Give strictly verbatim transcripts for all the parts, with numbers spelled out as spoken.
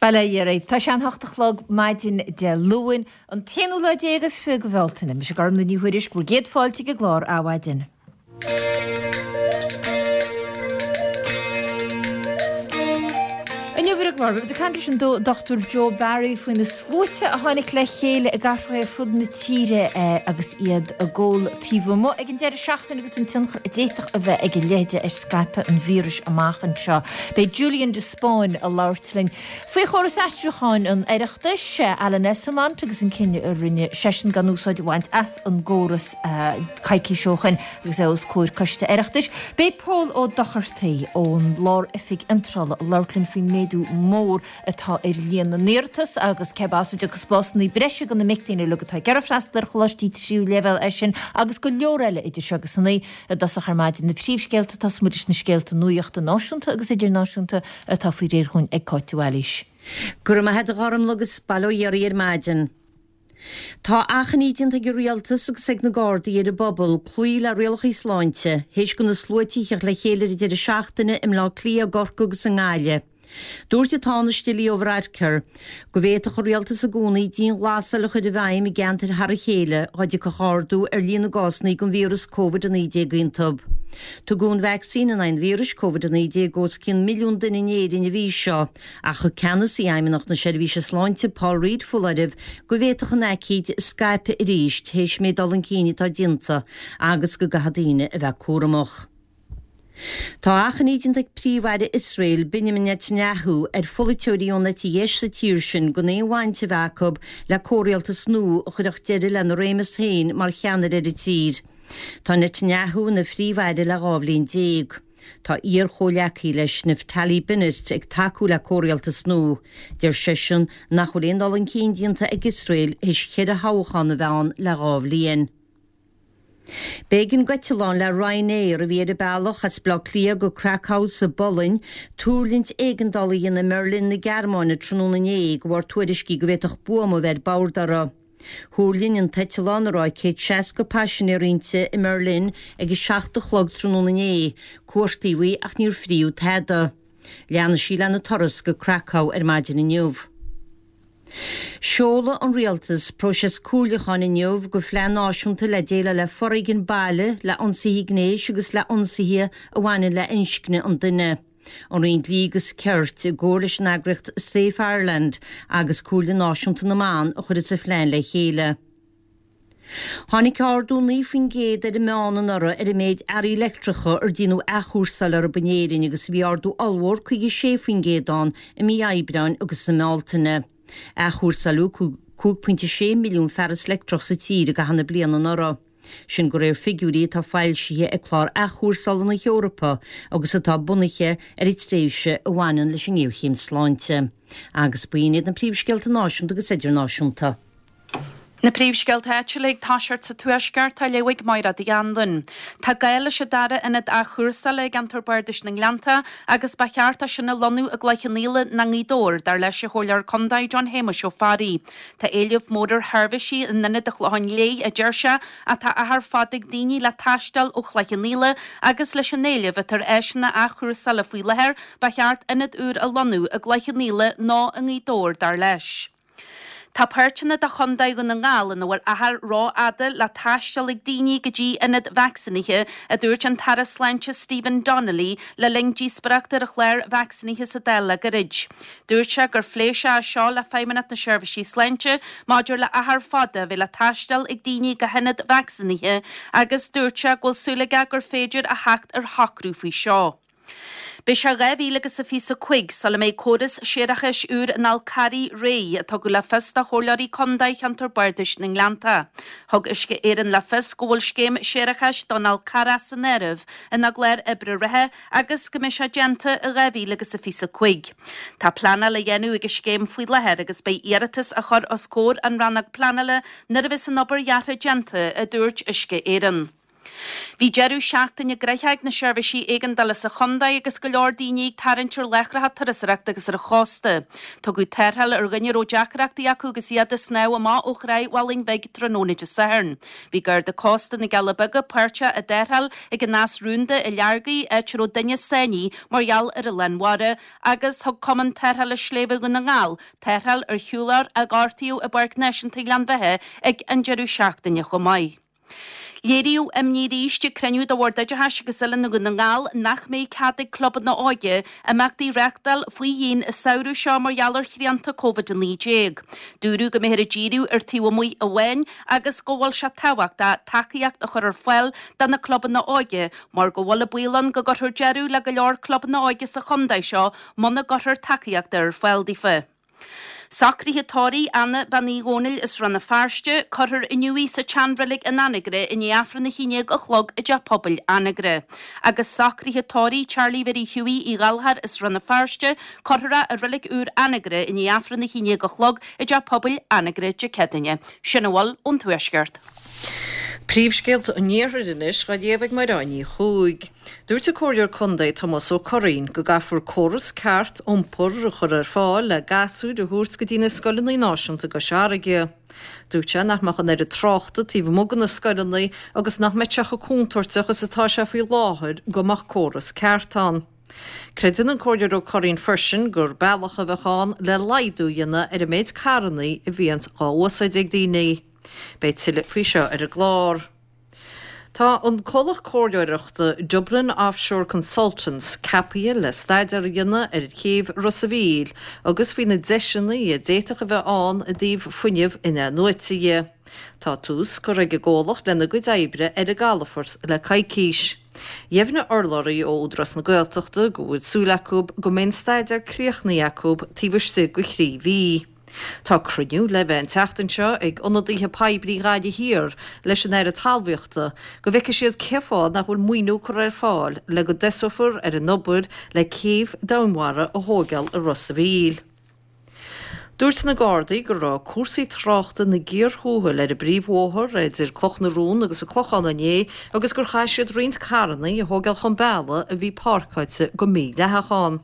Bail ó Dhia oraibh. Tá sé an hocht a chlog maidin Dé Luain, an t-aonú lá déag is fiche de Bhealtaine. Mise Gormlaith Ní Thuairisg, bhur gcéad fáilte ag an gclár Adhmhaidin. Inniu ar an gclár, beimid ag caint leis an Dochtúir Joe Barry faoi na sluaite a tháinig le chéile i gcathracha ar fud na tíre agus iad ag ól taobh amuigh ag an deireadh seachtaine agus an tionchar a d'fhéadfadh a bheith ag a leithéide ar scaipeadh an víris amach anseo. Beidh Julian de Spáinn ag labhairt linn faoi chóras aistriúcháin an Oireachtais, Alan Esslemont agus an cinneadh a rinne seisean gan úsáid a bhaint as an gcóras coicís ó shin agus é os comhair Coiste Oireachtais. Beidh Pól Ó Dochartaigh ón Lár-Oifig Iontrála ag labhairt linn faoin méadú mór atá ar líon na n-iarratas agus cé as a dtiocfaidh spásanna breise do na mic léinn uilig atá ag iarraidh freastal ar choláistí tríú leibhéal é sin agus go leor eile idir seo agus a naoi i dtosach ar maidin. Na príomhscéalta, Tosóidh muid leis na scéalta nuachta náisiúnta agus idirnáisiúnta atá faoi réir dhúinn ag Cáit de Bhailís. Go raibh maith agat a Ghormlaith agus bail ó Dhia oraibh ar maidin. Tá achainí déanta ag an Rialtas agus ag na Gardaí ar an bpobal cloí le rialacha sláinte théis do na sluaite a theacht le chéile ar an deireadh seachtaine i mBleá Cliath, i gCorcaigh agus i nGaillimh. Dúirt an Tánaiste Leo Varadkar go bhféadfadh an rialtas i gcónaí dianghlasáil a chur i bhfeidhm i gceantair thar a chéile dá dtiocfadh ardú ar líon na gcásanna den víreas Covid a naoi déag iontu. Tugadh an vacsaín in aghaidh an víris Covid a naoi déag os cionn milliún duine in Éirinn an mhí seo ach thug ceannasaí Fheidhmeannacht na Seirbhíse Sláinte Paul Reid foláireamh go bhféadfadh an aicíd scaipeadh arís théis an méid dul chun cinn atá déanta agus go gcaithfidh daoine a bheith cúramach. Tá achainí déanta ag Príomh-Aire Iosrael, Benjamin Netanyahu, ar pholaiteoirí ón eite dheis sa tír sin gan aon bhaint a bheith acu le comhrialtas nua a chuirfeadh deireadh lena réimeas féin mar cheannaire ar an tír. Tá Netanyahu ina Phríomh-Aire le dhá bhliain déag. Tá iar-chomhghleacaí leis, Naftali Bennett, ag tacú le comhrialtas nua. Deir seisean nach bhfuil aon dul chun cinn déanta ag Iosrael théis cheithre thoghchán a bheith ann le dhá bhliain. B'éigean d'eiteallán le Ryanair, a bhí ar a bealach as Baile Átha Cliath go Krakow sa bPolainn, tuirlingt éigeandála a dhéanamh i mBeirlin na Gearmáine tráthnóna inné de bharr tuairiscí go bhféadfadh buama a bheith ar bord orthu. Thuirling an t-eiteallán, a raibh céad seasca paisinéir inti, i mBeirlin ag a seacht a chlog tráthnóna inné, cuartaíodh í ach níor fríodh tada. Leanfaidh sí lena turas go Krakow ar maidin inniu. Seolfaidh an Rialtas próiseas comhairliúcháin inniu do phlean náisiúnta le déileáil le foréigean baile, le ionsaithe gnéis agus le ionsaithe a bhaineann le inscne an duine. An Roinn Dlí agus Cirt, i gcomhar leis an eagraíocht Safe Ireland agus Comhairle Náisiúnta na mBan a chuirfeas an phlean le chéile. Tháinig ardú naoi faoin gcéad ar an meán anuraidh ar an méid earraí leictreacha ar déanadh athchúrsáil orthu in Éirinn agus bhí ardú ollmhór caoga sé faoin gcéad ann i mí Aibreáin agus i mBealtaine. Athchúrsáileadh cúig pointe sé milliún fearas leictreach sa tír i gcaitheamh na bliana anuraidh. Sin de réir figiúirí atá foilsithe ag Clár Athchúrsála na hEorpa agus atá bunaithe ar an tréimhse a bhaineann leis an ngéarchéim sláinte. Agus b'in iad na príomhscéalta náisiúnta agus idirnáisiúnta. Na príomhscéalta áitiúla ag toiseacht sa Tuaisceart á léamh ag Máire Uí Anluain. Tá gá leis an dara ionad athchúrsála i gceantar Bardais na nGleannta agus ba cheart é sin a lonnú i gCloich Cheann Fhaola nó i nGaoth Dobhair, dar leis an Chomhairleoir Contae John Shéamuis Ó Fearraigh. Tá éileamh mór ar sheirbhísí in ionad an Chlocháin Léith, a deir sé, ach tá achar fada ag daoine le taisteal ó Chloich Cheann Fhaola agus leis an éileamh atá ar áiseanna athchúrsála faoi láthair, ba cheart ionad úr a lonnú i gCloich Cheann Fhaola nó i nGaoth Dobhair, dar leis. Tá páirteanna de Chontae Dhún na nGall ina bhfuil achar rófhada le taisteal ag daoine go dtí ionad vacsaínithe, a dúirt an tAire Sláinte Stephen Donnelly le linn díospóireachta ar an chlár vacsaínithe sa Dáil le gairid. Dúirt sé gur phléigh sé é seo le Feidhmeannacht na Seirbhísí Sláinte maidir le achar fada a bheith le taisteal ag daoine go hionad vacsaínithe agus dúirt sé go bhfuil súil aige gur féidir a theacht ar shocrú faoi seo. Beidh sé dhá mhíle agus a fiche a cúig sula mbeidh córas séarachais úr an Fhál Carraigh réidh, a tugadh le fios do Chomhairleoirí Contae Cheantar Bardais na nGleannta. Thug Uisce Éireann le fios go bhfuil scéim séarachais don Fhál Carrach san áireamh ina gclár oibre reatha agus go mbeidh sé déanta i dhá mhíle agus a fiche a cúig. Tá pleanáil á dhéanamh ag an scéim faoi láthair agus beidh iarratas á chur os comhair an Rannóg Pleanála nuair a bheas an obair dheartha déanta, a dúirt Uisce Éireann. Bhí deireadh seachtaine gnoitheach ag na seirbhísí éigeandála sa chontae agus go leor daoine ag tarraingt ar láithreacha turasóireachta agus ar an chósta. Tugadh tarrtháil ar dhuine a raibh deacrachtaí acu agus iad ag snámh amach ó Thráigh Mhálainn Bhig tráthnóna Dé Sathairn. Bhí Garda Cósta na gCealla Beaga páirteach i dtarrtháil ag an Eas Rúnda i Llargaí, áit a raibh duine sáinnithe mar gheall ar an lán mhara, agus thug Cumann Tarrthála Sléibhe Dhún na nGall tarrtháil ar shiúlóir a gortaíodh i bPáirc Náisiúnta Ghleann Bheatha ag an deireadh seachtaine chomh maith. Léiríodh imní arís ag cruinniú de Bhord Oideachais agus Oiliúna Dhún na nGall nach mbeidh cead ag clubanna óige imeachtaí a reáchtáil faoi dhíon an samhradh seo mar gheall ar shrianta Covid a naoi déag. Dúradh go mbeifear ag díriú ar taobh amuigh amháin agus go bhfuil sé tábhachtach tacaíocht a chur ar fáil do na clubanna óige mar go bhfuil an baol ann go gcuirfear deireadh le go leor clubanna óige sa chontae seo muna gcuirfear tacaíocht ar fáil daofa. Socruithe tórraimh Anna Bean Uí Dhónaill as Rann na Feirste, cuirfear inniu í sa tseanreilig in Anagaire i ndiaidh Aifreann a haon déag a chlog i dTeach Pobail Anagaire. Agus socruithe tórraimh Charlie Mhary Hughie Uí Ghallchóir as Rann na Feirste, cuirfear é i reilig úr Anagaire i ndiaidh Aifreann a haon déag a chlog i dTeach Pobail Anagaire Dé Céadaoine. Sin a bhfuil ón Tuaisceart. Príomhscéalta an Iarthair anois á léamh ag Mairéad Ní Chuaig. Dúirt an Comhairleoir Contae Tomás Ó Curraoin go gcaithfear córas ceart iompair a chur ar fáil le gasúir a thabhairt go dtí na scoileanna náisiúnta i gCois Fharraige. Dúirt sé nach mbeadh an oiread tráchta taobh amuigh de na scoileanna agus nach mbeadh sé chomh contúirteach is atá sé faoi láthair go mbeadh córas ceart ann. Creideann an Comhairleoir Ó Curraoin freisin gur bealach a bheadh ann le laghdú a dhéanamh ar an méid carranna a bhíonns á úsáid ag daoine. Beidh tuilleadh faoi seo ar an gclár. Tá an comhlacht comhairleoireachta Dublin Offshore Consultants ceaptha le staidéar a dhéanamh ar chéibh Ros an Mhíl agus faoi na deiseanna a d'fhéadfadh a bheith ann i dtaobh fuinneamh in-athnuaite dhe. Tá tús curtha ag an gcomhlacht lena gcuid oibre ar an gcalafort le coicís. Dheimhnigh urlabhraí ó Údarás na Gaeltachta go bhfuil súil acu go mbeidh an staidéar críochnaithe acu taobh istigh de thrí mhí. Tá cruinniú le bheith an tseachtain seo ag ionadaithe poiblí Ghaillimh Thiar leis an Aire Talmhaíochta go bhfeicfidh siad cén fáth nach bhfuil maoiniú curtha ar fáil le go dtosófar ar an obair le céibh domhainmhara a thógáil i Ros an Mhíl. Dúirt na Gardaí go raibh cúrsaí tráchta ina gcíor thuathail ar an bpríomhbhóthar idir Cloch na Rón agus an Clochán inné agus gur chaith siad roinnt carranna a thógáil chun bealaigh a bhí páirceáilte go mídhleathach ann.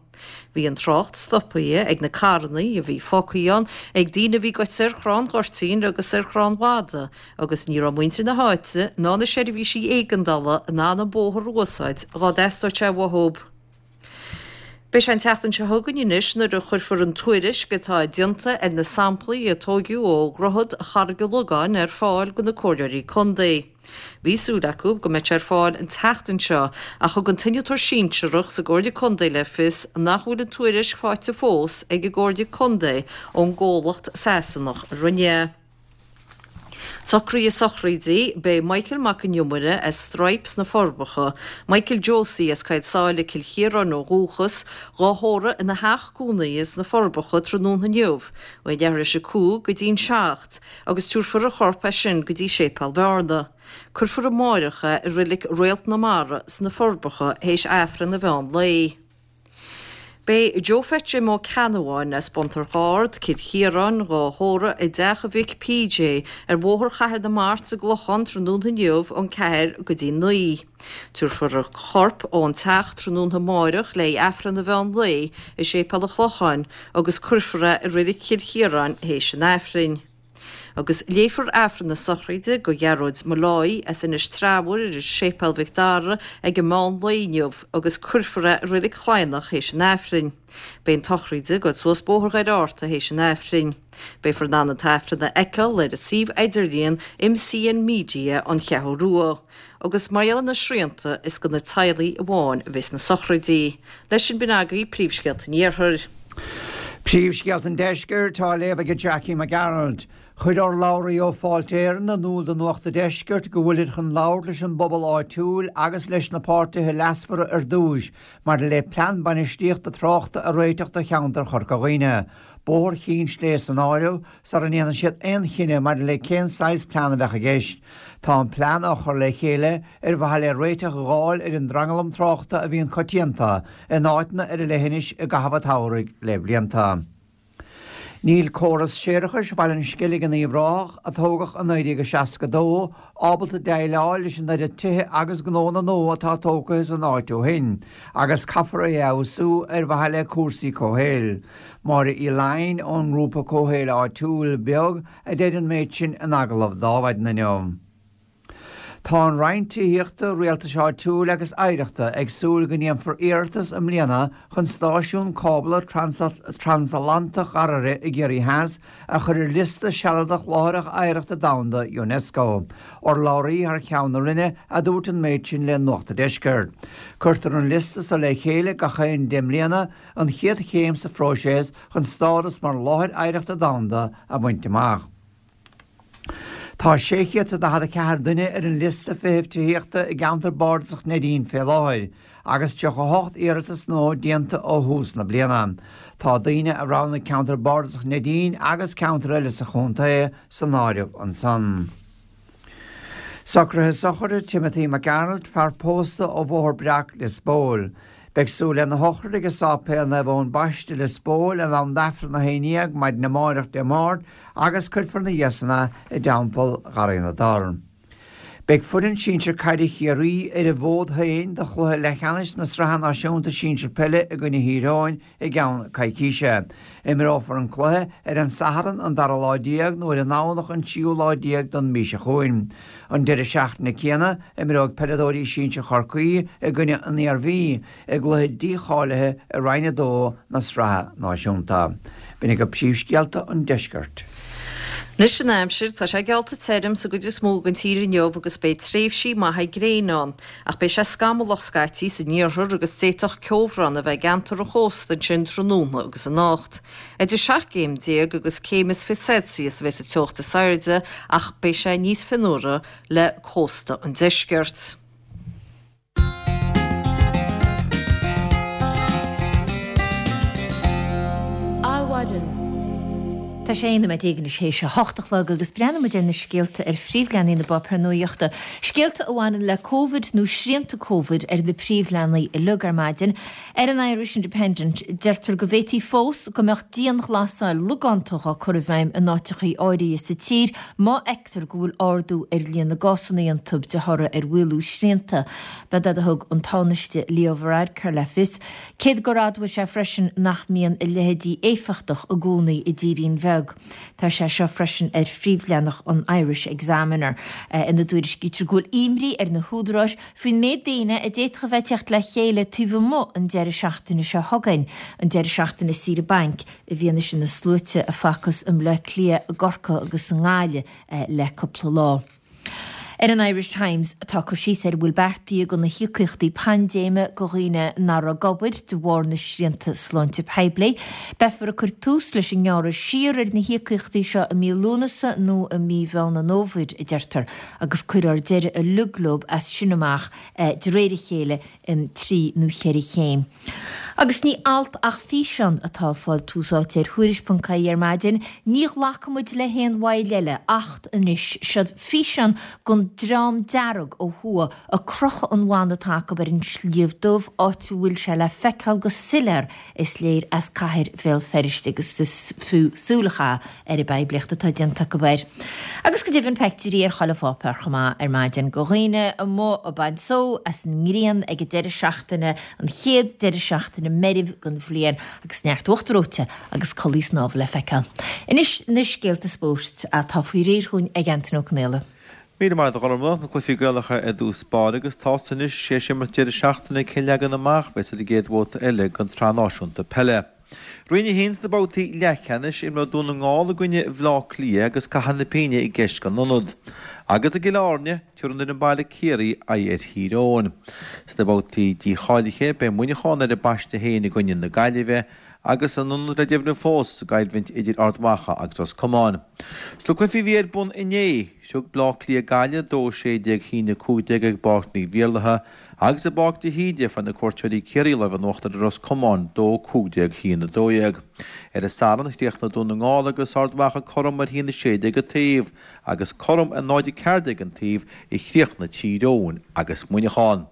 Bhí an trácht stoptha ag na carranna a bhí fágtha ann ag daoine a bhí goite ar chrann ghoirtín agus ar chrann mhada agus ní raibh muintir na háite ná na seirbhísí éigeandála in ann an bóthar a úsáid dhá dteastódh sé uathu. Beidh sé an tseachtain seo chugainn anois nuair a chuirfear an tuairisc atá déanta ar na samplaí a tógadh ó Dhroichead Charraig an Logáin ar fáil do na comhairleoirí contae. Bhí súil acu go mbeadh sé ar fáil an tseachtain seo ach thug an t-innealtóir sinsearach sa gComhairle Contae le fios nach bhfuil an tuairisc faighte fós ag an gComhairle Contae ón gcomhlacht Sasanach a rinne é. Socruithe sochraide, Beidh Michael Mac an Iomaire as Straidhp sna Forbacha, Michael Josie as Coill Sáile, Cill Chiaráin ó dhúchas, dhá thórramh ina theach cónaithe sna Forbacha tráthnóna inniu, ó leathuair tar éis a cúig go dtí'n seacht, agus tabharfar a chorp as sin go dtí Séipéal Bhearna. Cuirfear amáireach é i reilig Réalt na Mara sna Forbacha théis Aifreann an mheán lae. Beidh Joe Phetra Ó Ceannabháin as Bun Toirc Ard, Cill Chiaráin, dhá thórramh i dteach a mhic PJ ar Bhóthar Chathair na Mart sa gClochán tráthnóna inniu ón ceathair go dtí naoi. Tabharfar a chorp ón teach tráthnóna amáireach le Aifreann an mheán lae i Séipéal an Chlocháin agus cuirfear é i reilig Chill Chiaráin théis an Aifrinn. Agus léifear Aifreann na sochraide do Ghearóid Molloy as Inis Treabhair i Séipéal Mhic Dara ag an meán lae inniu agus cuirfear é i reilig Chladhnach théis an Aifrinn. Beidh an tsochraid ag dul suas Bóthar Dhoire Fhearta théis an Aifrinn. Beifear in ann an t-aifreann a fheiceáil ar a suíomh idirlíon MCN Media an Cheathrú Rua. Agus mar gheall ar na srianta is do na teaghlaigh amháin a bheas na sochraidí. Leis sin b'in agaibh príomhscéalta an Iarthair. Príomhscéalta an Deiscirt á léamh ag Jackie McGarrald. Chuir urlabhraí ó Fáilte Éireann in iúl do Nuacht an Deiscirt go bhfuilid chun labhairt leis an bpobal áitiúil agus leis na páirtithe leasmhara ar dtús maidir le plean bainistíochta tráchta a réiteach do cheantar Chorca Dhuibhne. Bóthar Chinn Sléibhe san áireamh sara ndéanann siad aon chinneadh maidir le cén saghas plean a bheadh i gceist. Tá an plean á chur le chéile ar mhaithe le réiteach a fháil ar an dtranglam tráchta a bhíonn coitianta in áiteanna ar an leithinis i gcaitheamh an tsamhraidh le blianta. Níl córas séarachais Bhaile an Sceilg in Uíbh Ráthach, a tógadh i naoi déag seasca dó, ábalta déileáil leis an oiread tithe agus gnónna nua atá tógtha san áit ó shin, agus caithfear é a fheabhsú ar mhaithe le cúrsaí comhshaoil. Máire Uí Laighin ón ngrúpa comhshaoil áitiúil Beag a deir an méid sin in agallamh d'Adhmhaidin inniu. Tá an Roinn Tithíochta, Rialtais Áitiúil agus Oidhreachta ag súil go ndéanfar iarratas i mbliana chun stáisiún cábla transatlantach Gharraire i gCiarraí Theas a chur ar liosta sealadach Láithreacha Oidhreachta Domhanda Unesco. Urlabhraí thar ceann na Roinne a dúirt an méid sin le Nuacht an Deiscirt. Cuirtear an liosta seo le chéile gach aon deich mbliana, an chéad chéim sa phróiseas chun stádas mar Láthair Oidhreachta Domhanda a bhaint amach. Tá sé chéad is daichead a ceathair duine ar an liosta feithimh tithíochta i gceantar bardasach Neidín fé láthair, agus tríocha a hocht iarratas nua déanta ó thús na bliana. Tá daoine a roghnaigh ceantar bardasach Neidín agus ceantair eile sa chontae san áireamh ansan. Socruithe sochraide Timothy McArnold, fear pósta ó Bhóthar Breac, Lios Póil. Beidh súil lena shochraid ag Sáipéal Naomh Eoin Baiste, Lios Póil, in am d'Aifreann a haon dhéag maidin amárach Dé Máirt agus cuirfear ina dhiaidh san é i dTeampall Gharraí na dTor. Beidh foireann sinsir caide Chiarraí ar a bhfód féin do chluiche leathcheannais na Sraithe Náisiúnta Sinsir Peile i gcoinne Thír Eoghain i gceann coicíse. Imreofar an cluiche ar an Satharn an dara lá déag nó ar an nDomhnach an tríú lá déag den mhí seo chugainn. An deireadh seachtaine céanna, imreoidh peileadóirí sinsir Chorcaí i gcoinne an Iarmhí i gcluiche dícháilithe i Roinn a dó na Sraithe Náisiúnta. B'in agaibh príomhscéalta an deiscirt. Anois an aimsir, tá sé geallta tirim sa gcuid is mó den tír inniu agus beidh tréimhsí maithe gréine ann, ach beidh sé scamallach scaití san iarthar agus d'fhéadfadh ceobhrán a bheith i gceantar an chósta ansin tráthnóna agus anocht. Idir seacht gcéim déag agus céim is fiche Celsius a bheidh sa teocht is airde ach beidh sé níos fionnuaire le cósta an deiscirt. Adhmhaidin. Tá sé aon nóiméad déag anois théis a hocht a chlog agus breathnóidh muid ar na scéalta ar phríomhleathanaigh na bpáipéar nuachta. Scéalta a bhaineann le Covid nó srianta Covid ar na príomhleathanaigh uilig ar maidin. Ar an Irish Independent, deirtear go bhféadfaí fós go mbeadh dianghlasáil logánta á cur i bhfeidhm in áiteachaí áirithe sa tír má fheictear go bhfuil ardú ar líon na gcásanna iontu de thoradh ar mhaolú srianta. B'é a thug an Tánaiste Leo Varadkar le fios. Cé gur admhaigh sé freisin nach mbíonn a leithéidí éifeachtach i gcónaí i dtírín bheag. Tá sé seo freisin ar phríomhleathanach an Irish Examiner, ina dtuairiscítear go bhfuil imní ar na húdaráis faoin méid daoine a d'fhéadfadh a bheith ag teacht le chéile taobh amuigh an deireadh seachtaine seo chugainn, an deireadh seachtaine saoire bainc, i bhfianaise na sluaite a facthas i mBleá Cliath, i gCorcaigh agus i nGaillimh le cúpla lá. Ar an Irish Times tá cur síos ar a bhfuil beartaithe do na híocaíochtaí paindéime do dhaoine nach raibh ag obair de bharr na srianta sláinte poiblí. Beifear ag cur tús leis an ngearradh siar ar na híocaíochtaí seo i mí Lúnasa nó i mí Mheán an Fhómhair, a deirtear, agus cuirfear deireadh uilig leo as sin amach de réir a chéile in trí nó cheithre chéim. Agus ní alt ach físeán atá ag fáil tús áite ar Thuairisc ponc ie ar maidin. Ní ghlacfaidh muid le haon bhaill eile acht anois. Seod físeán den Dream Dearg ó thuaidh ag crochadh an bhanna atá acu ar an Sliabh Dubh, áit a bhfuil sé le feiceáil go soiléir is léir as cathair Bhéal Feirste agus is fiú súil a chaitheamh ar an bpoiblíocht atá déanta acu air. Agus go deimhin peictiúirí ar chuile pháipéar chomh maith ar maidin de dhaoine amuigh ag baint só as an ngrian ag an deireadh seachtaine, an chéad deireadh seachtaine meirbh den bhliain agus neart uachtar reoite agus culaith snámha le feiceáil. Anois na scéalta spóirt atá faoi réir dhúinn ag Antaine Ó Conaola. Míle maith agat a Ghormfhlaith, na cluichí Gaelacha i dtús báire agus tá's anois théis imirt deireadh seachtaine cén leagan amach a bheas ar an gcéad bhabhta eile den tSraith Náisiúnta Peile. Roinn a haon sna babhtaí leathcheannais, imreoidh Dún na nGall i gcoinne Bhaile Átha Cliath agus Cathair na Pinge i gceist don ionad. Agus i gCill Airne, tabharfaidh an fhoireann baile Ciarraí aghaidh ar Thír Eoghain. Sna babhtaí dícháilithe, beidh Muineachán ar a bpaiste féin i gcoinne na Gaillimhe agus an ionad le deimhniú fós sa gcoimhlint idir Ard Mhacha agus Ros Comáin. Sna cluichí a bhí ar bun inné, thug Bleá Cliath Gaillimh dó a sé déag a haon a cúig déag ag Páirc Naomh Iarlaithe agus i bPáirc de hÍde fuair na cuairteoirí Ciarraí lámh in uachtar ar Ros Comáin dó a cúig déag a haon a dó dhéag. Ar an Satharn, chríochnaigh Dún na nGall agus Ard Mhacha cothrom ar a haon a sé déag an taobh agus cothrom ar náid a ceathair déag an taobh a chríochnaigh Tír Eoghain agus Muineachán.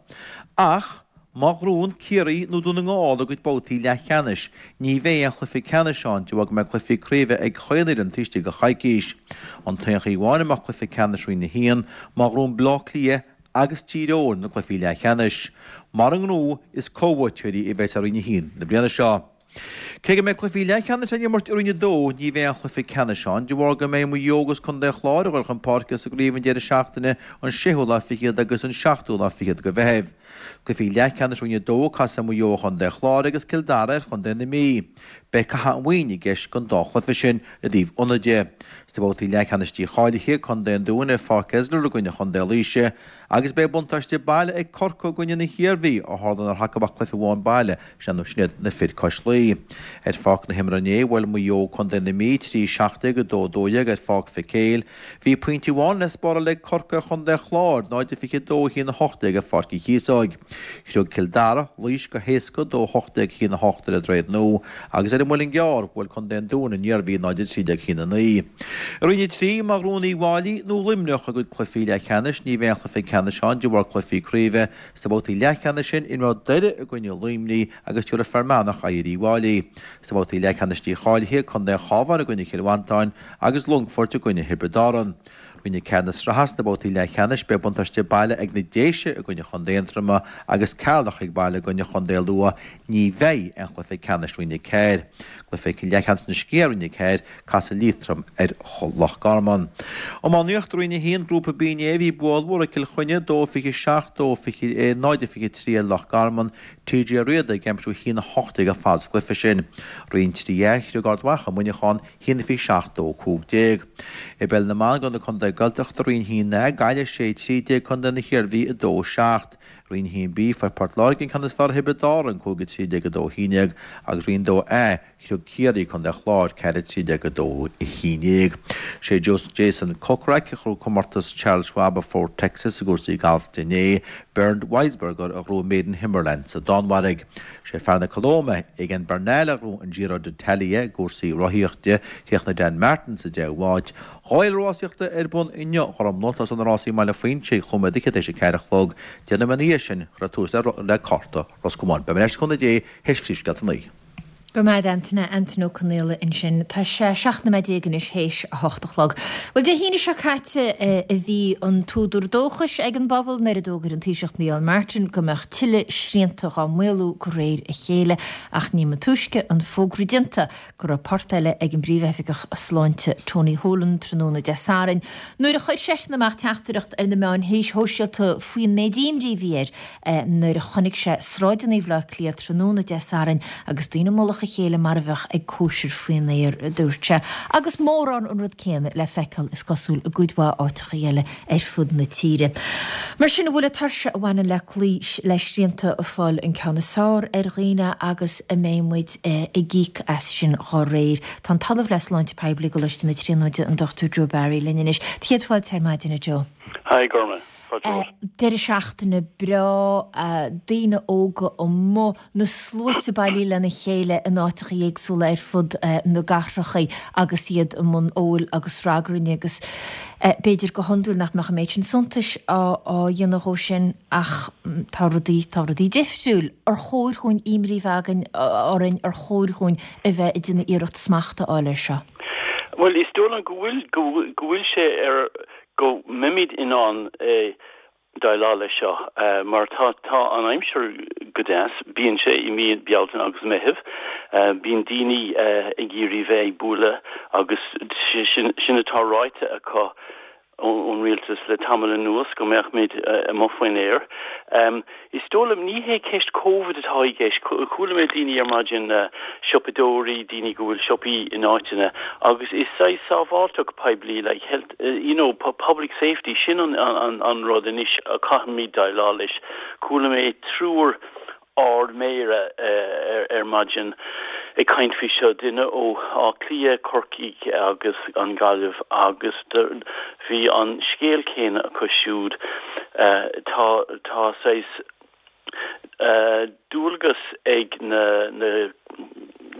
Ach Má ghnóthaíonn Ciarraí nó Dún na nGall a gcuid babhtaí leathcheannais, ní bheidh aon chluiche ceannais ann de bharr go mbeidh cluichí craoibhe ag chaon fhoireann taobh istigh de choicís. An t-aon chaoi amháin a mbeadh cluiche ceannais Roinn a haon, má ghnóthaíonn Baile Átha Cliath agus Tír Eoghain na cluichí leathcheannais. Mura ngnóthaíonn, is comhbhuaiteoirí a bheas ar Roinn a haon na bliana seo. Cé go mbeidh cluichí leathcheannais á n-imirt i Roinn a dó, ní bheidh aon chluiche ceannais ann de bharr go mbeidh Maigh Eo agus Contae an Chláir ag dul chun páirce sa gcraobh an deireadh seachtaine an séú lá fichead agus an seachtú lá fichead de Mheitheamh. Cluichí leathcheannais Roinn a dó, casfaidh Maigh Eo ar Chontae an Chláir agus Cill Dara ar Chontae na Mí. Beidh cath an mhaoin i gceist don dá chluiche sin i dtaobh ionaid de. Sna babhtaí leathcheannais dícháilithe, Contae an Dúin ar Pháirc Esler i gcoinne Chontae Laoise agus beidh buntáiste baile ag Corcaigh i gcoinne na hIarmhí ó tharla nár thacaigh ach cluiche amháin baile sin sin iad na fir cois Laoi. Ar pháirc na himeartha inné, bhuail Maigh Eo Contae na Mí trí seacht déag a dó dó dhéag ar Pháirc Mhic Éil. Bhí pointe amháin le spáráil ag Corcaigh ar Chontae an Chláir, náid a fiche dó a haon a hocht déag ar Pháirc Uí Chíosóig. Throid Cill Dara, Laois go héasca dó a hocht déag a haon a hocht ar an Droichead Nua agus ar an Muileann gCearr, bhuail Contae an Dúin an Iarmhí náid a trí déag a haon a naoi. I Roinn a trí, má ghnóthaíonn Uíbh Fhailí nó Luimneach a gcuid cluichí leathcheannais, ní bheidh aon chluiche ceannais ann de bharr cluichí craoibhe. Sna babhtaí leathcheannais sin, imreoidh Doire i gcoinne Luimnigh agus tabharfaidh Fear Manach aghaidh ar Uíbh Fhailí. Sna babhtaí leathcheannais dícháilithe, Contae an Chabháin i gcoinne Chill Mhantáin agus Longfort i gcoinne Thiobraid Árann. Roinn a ceathair na sraithe sna babhtaí leathcheannais, beidh buntáiste baile ag na Déise i gcoinne Chontae Aontroma agus Ceatharlach ag baile i gcoinne Chontae Lú. Ní bheidh aon chluiche ceannais Roinn a ceathair. Cluiche leathcheannais na Sciath Roinn a ceathair, casfaidh Liatroim ar Loch Garman. Iománaíocht Roinn a haon, Grúpa B inné, bhí bua ollmhór ag Cill Chainnigh, dó fiche seacht, dó fiche, náid a fiche trí ar Loch Garman, T J Riada ag aimsiú a haon a hocht déag ar fad sa gcluiche sin. Roinn trí A, throid Ard Mhacha Muineachán, haon a fiche seacht, dó cúig déag. I bpeil na mban do na contaetha Gaeltachta, Roinn a haon A, Gaillimh sé trí déag, Contae na hIarmhí a dó seacht. Roinn a haon B, fuair Port Láirge an ceann is fearr ar Thiobraid Árann, cúig a trí déag a dó a haon déag, agus Roinn dó A, throid Ciarraí, Contae an Chláir, ceathair a trí déag a dó a haon déag. Sé Jason Kokrak a ghnóthaigh comórtas Charles Schwab i Fort Texas i gcúrsaí gailf inné, Bernd Wiesberger a ghnóthaigh Made in Himmerland sa Danmhairg. Sé fear na Colóime, Egan Bernal a ghnóthaigh an Giro d'Italia i gcúrsaí rothaíochta, chríochnaigh Dan Martin sa deichiú háit. Dhá fhéile rásaíochta ar bun inniu, a Ghormfhlaith, tosaíonn na rásaí i mBaile Phuinse ag chúig nóiméad fhichead théis a ceathair a chlog, deich nóiméad ina dhiaidh sin, cuirfear tús le cárta Ros Comáin. Beidh mé ar ais le cúnamh Dé théis phríomhscéalta a naoi. Go raibh maith agat Antaine, Antaine Ó Conaola ansin. Tá sé seacht nóiméad déag anois théis a hocht a chlog. Bhuel, Dé hAoine seo caite a bhí an t-údar dóchais ag an bpobal nuair a d'fhógair an Taoiseach Micheál Martin go mbeadh tuilleadh srianta dhá maolú de réir a chéile ach ní ba túisce an fógra déanta go raibh port eile ag an bPríomhoifigeach Sláinte Tony Holohan tráthnóna Dé Sathairn nuair a chuir seisean amach teachtaireacht ar na meáin shóisialta faoin méid imní a bhí air nuair a chonaic sé sráideanna Bhaile Átha Cliath tráthnóna Dé Sathairn agus daoine i mullach a chéile mar a bheadh ag cóisir faoin aer, a dúirt sé. Agus mórán an rud céanna le feiceáil is cosúil i gcuid mhaith áiteacha eile ar fud na tíre. Mar sin, an bhfuil an tuirse a bhaineann le cloí le srianta ag fáil an ceann is fearr ar dhaoine agus an mbeidh muid ag íoc as sin dá réir. Tá an tOllamh le Sláinte Poiblí i gColáiste na Tríonóide, an Dochtúir Joe Barry, linn anois. Céad fáilte ar maidin, a Joe. Hi, Gorma. Deireadh seachtaine breá, daoine óga amuigh, na sluaite bailithe lena chéile in áiteacha éagsúla ar fud na gcathracha agus iad i mbun óil agus ragairne agus b'fhéidir go hiondúil nach mbeadh an méid sin suntais á dhéanamh dhó sin ach tá rudaí, tá rudaí difriúil. Ar chóir dhúinn imní a bheith againn orainn, ar chóir dhúinn a bheith ag déanamh iarracht smacht a fháil air seo? Bhuel, is dóigh liom go bhfuil, go bhfuil sé ar, go mbeimid in ann déileáil leis seo mar tá tá an aimsir go deas, bíonn sé i mí Bealtaine agus Meitheamh, bíonn daoine ag iarraidh bheith ag bualadh agus sin sin atá ráite acu ón rialtas le tamall anuas go mbeadh muid amuigh faoin aer. Is dóigh liom ní hé ceist Covid atá i gceist. Chuala mé daoine ar maidin, siopadóirí, daoine go bhfuil siopaí in áiteanna agus is saghas sábháilteacht poiblí, like health, you know, public safety, sin an an an rud anois a chaithfimid déileáil leis. Chuala mé triúr ardmhéara ar maidin ag caint faoi seo, duine ó Áth Cliath, Corcaigh agus an Ghaillimh agus bhí an scéal céanna acu siúd. Tá tá saghas dualgas ag na na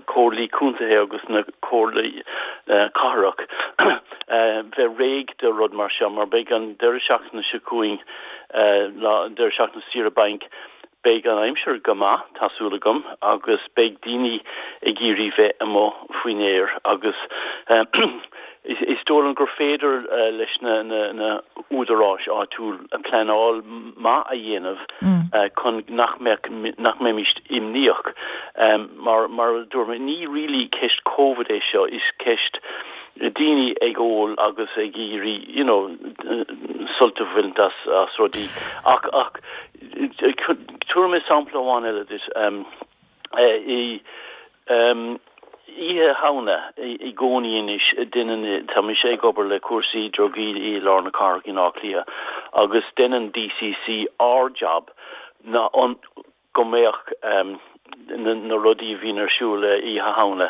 comhairlí contaetha agus na comhairlí cathrach bheith réidh do rud mar seo mar beidh an deireadh seachtaine seo chugainn, lá deireadh seachtaine saoire bainc, Beidh an aimsir go maith, tá súil agam, agus beidh daoine ag iarraidh bheith amuigh faoin aer agus is dóigh liom gur féidir leis na húdaráis áitiúil pleanáil maith a dhéanamh chun nach mbeadh, nach mbeimis imníoch. Mar, mar a dúirt mé, ní really ceist Covid é seo, is ceist daoine ag ól agus ag iarraidh, you know, sult a bhaint as, as rudaí. Ach, ach tabharfaidh mé sampla amháin eile duit. I Oíche Shamhna i gcónaí anois, deineann, tá mise ag obair le cúrsaí drugaí i lár na cathrach in Áth Cliath agus deineann DCC ár job ná an, go mbeadh na rudaí a bhíonn ar siúl Oíche Shamhna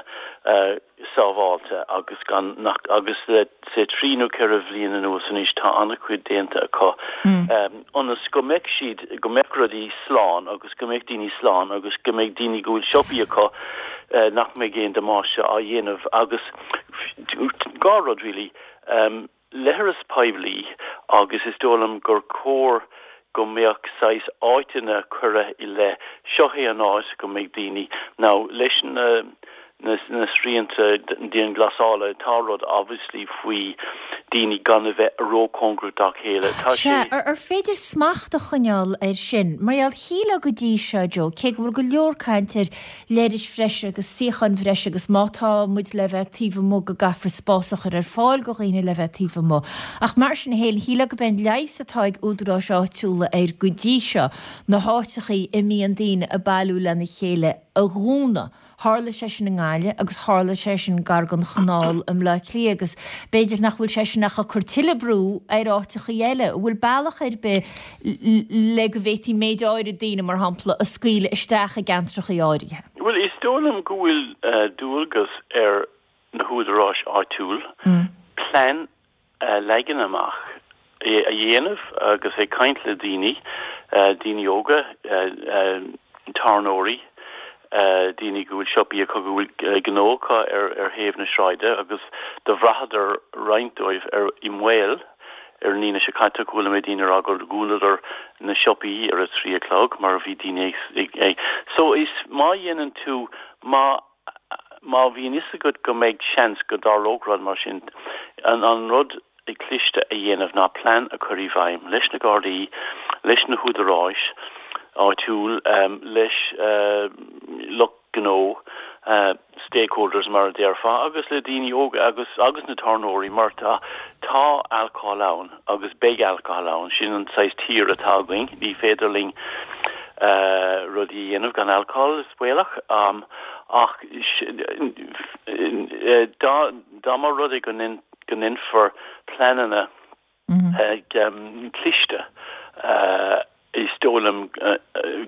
sábháilte agus gan nach agus le say trí nó ceithre bhliain anuas anois tá an-chuid déanta acu ionas go mbeadh siad go mbeadh rudaí slán agus go mbeadh daoine slán agus go mbeadh daoine go bhfuil siopaí acu nach mbeidh aon damáiste á dhéanamh agus dhá rud really leithreas poiblí agus is dóigh liom gur chóir go mbeadh saghas áiteanna curtha i leith, seo é an áit go mbeidh daoine, now leis na na na srianta dianghlasála tá rud obviously faoi daoine gan a bheith róchóngarach dá chéile, tá sé. Sea, ar féidir smacht a choinneáil air sin? Mar gheall, shílfeá go dtí seo, Joe, cé go bhfuil go leor caint ar leithris bhreise agus suíocháin bhreise agus má tá muid le bheith taobh amuigh go gcaithfear spás a chur ar fáil go dhaoine le bheith taobh amuigh. Ach mar sin féin, shílfeá gurb é an leigheas atá ag údaráis áitiúla air go dtí seo, na háiteachaí a mbíonn daoine ag bailiú lena chéile a dhúnadh. Tharla sé sin i nGaillimh agus tharla sé sin gar don chanál i mBleá Cliath agus b'fhéidir nach bhfuil sé sin ach ag cur tuilleadh brú ar áiteachaí eile. An bhfuil bealach ar bith le go bhféadfaí méid áirid daoine, mar shampla, a scaoileadh isteach i gceantrachaí áirithe? Bhuel, is dóigh liom go bhfuil dualgas ar na húdaráis áitiúil plean a leagan amach, é a dhéanamh agus ag caint le daoine, daoine óga, tábhairneoirí, daoine go bhfuil siopaí acu, go bhfuil gnó acu ar ar thaobh na sráide agus do bhraitheadar roinnt dóibh ar i mbaol ar an Aoine seo caite chuala mé daoine ag rá gur dhúnadar na siopaí ar a trí a chlog mar bhí daoine ag ag so is má dhéanann tú má má bhíonn fhios agat go mbeidh seans go dtarlódh rud mar sin, an an rud cliste a dhéanamh ná plean a chur i bhfeidhm leis na Gardaí, leis na húdaráis áitiúil, leis lucht gnó, stakeholders mar a déarfá, agus le daoine óga agus agus na tábhairneoirí mar tá tá alcohol ann agus beidh alcohol ann, sin an saghas tír atá againn, ní féidir linn rudaí a dhéanamh gan alcohol, is baolach, ach dá dá mba rud é go go ndéanfar pleananna cliste, is dóigh liom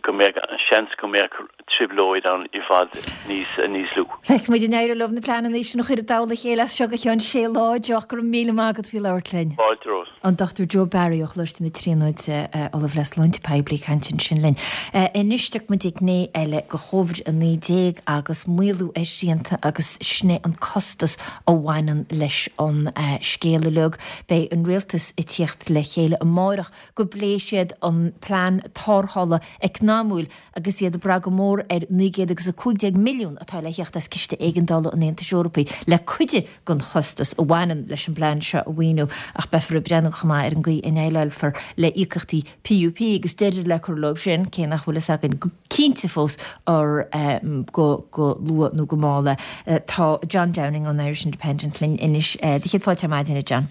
go mbeadh seans go mbeadh trioblóid ann i bhfad níos níos lú. Feicfidh muid an éireoidh leo na pleananna sin a chur i dtoll a chéile as seo go ceann sé lá, Joe, ach go raibh míle maith agat faoi labhairt linn. Fáilte romhat. An Dochtúir Joe Barry ó Choláiste na Tríonóide, Ollamh le Sláinte Poiblí ag caint ansin linn. Anois tiocfaidh muid ag gné eile de Chóivid a naoi déag agus maolú ar shrianta agus sin é an costas a bhaineann leis an scéal uilig. Beidh an rialtas ag tíocht le chéile amárach go bpléifidh siad an plean tarrthála eacnamúil agus iad ag brath go mór ar naoi gcéad agus a cúig déag milliún atá le theacht as Ciste Éigeandála an Aontais Eorpaigh le cuid den chostas a bhaineann leis an bplean seo a mhaoiniú ach beifear ag breathnú chomh maith ar an gcaoi a ndéileálfar le íocaíochtaí PUP agus deireadh le cur leo sin, cé nach bhfuil fhios againn go cinnte fós ar go go luath nó go mall é. Tá John Downing ón Irish Independent linn anois. Do chéad fáilte ar maidin, a John.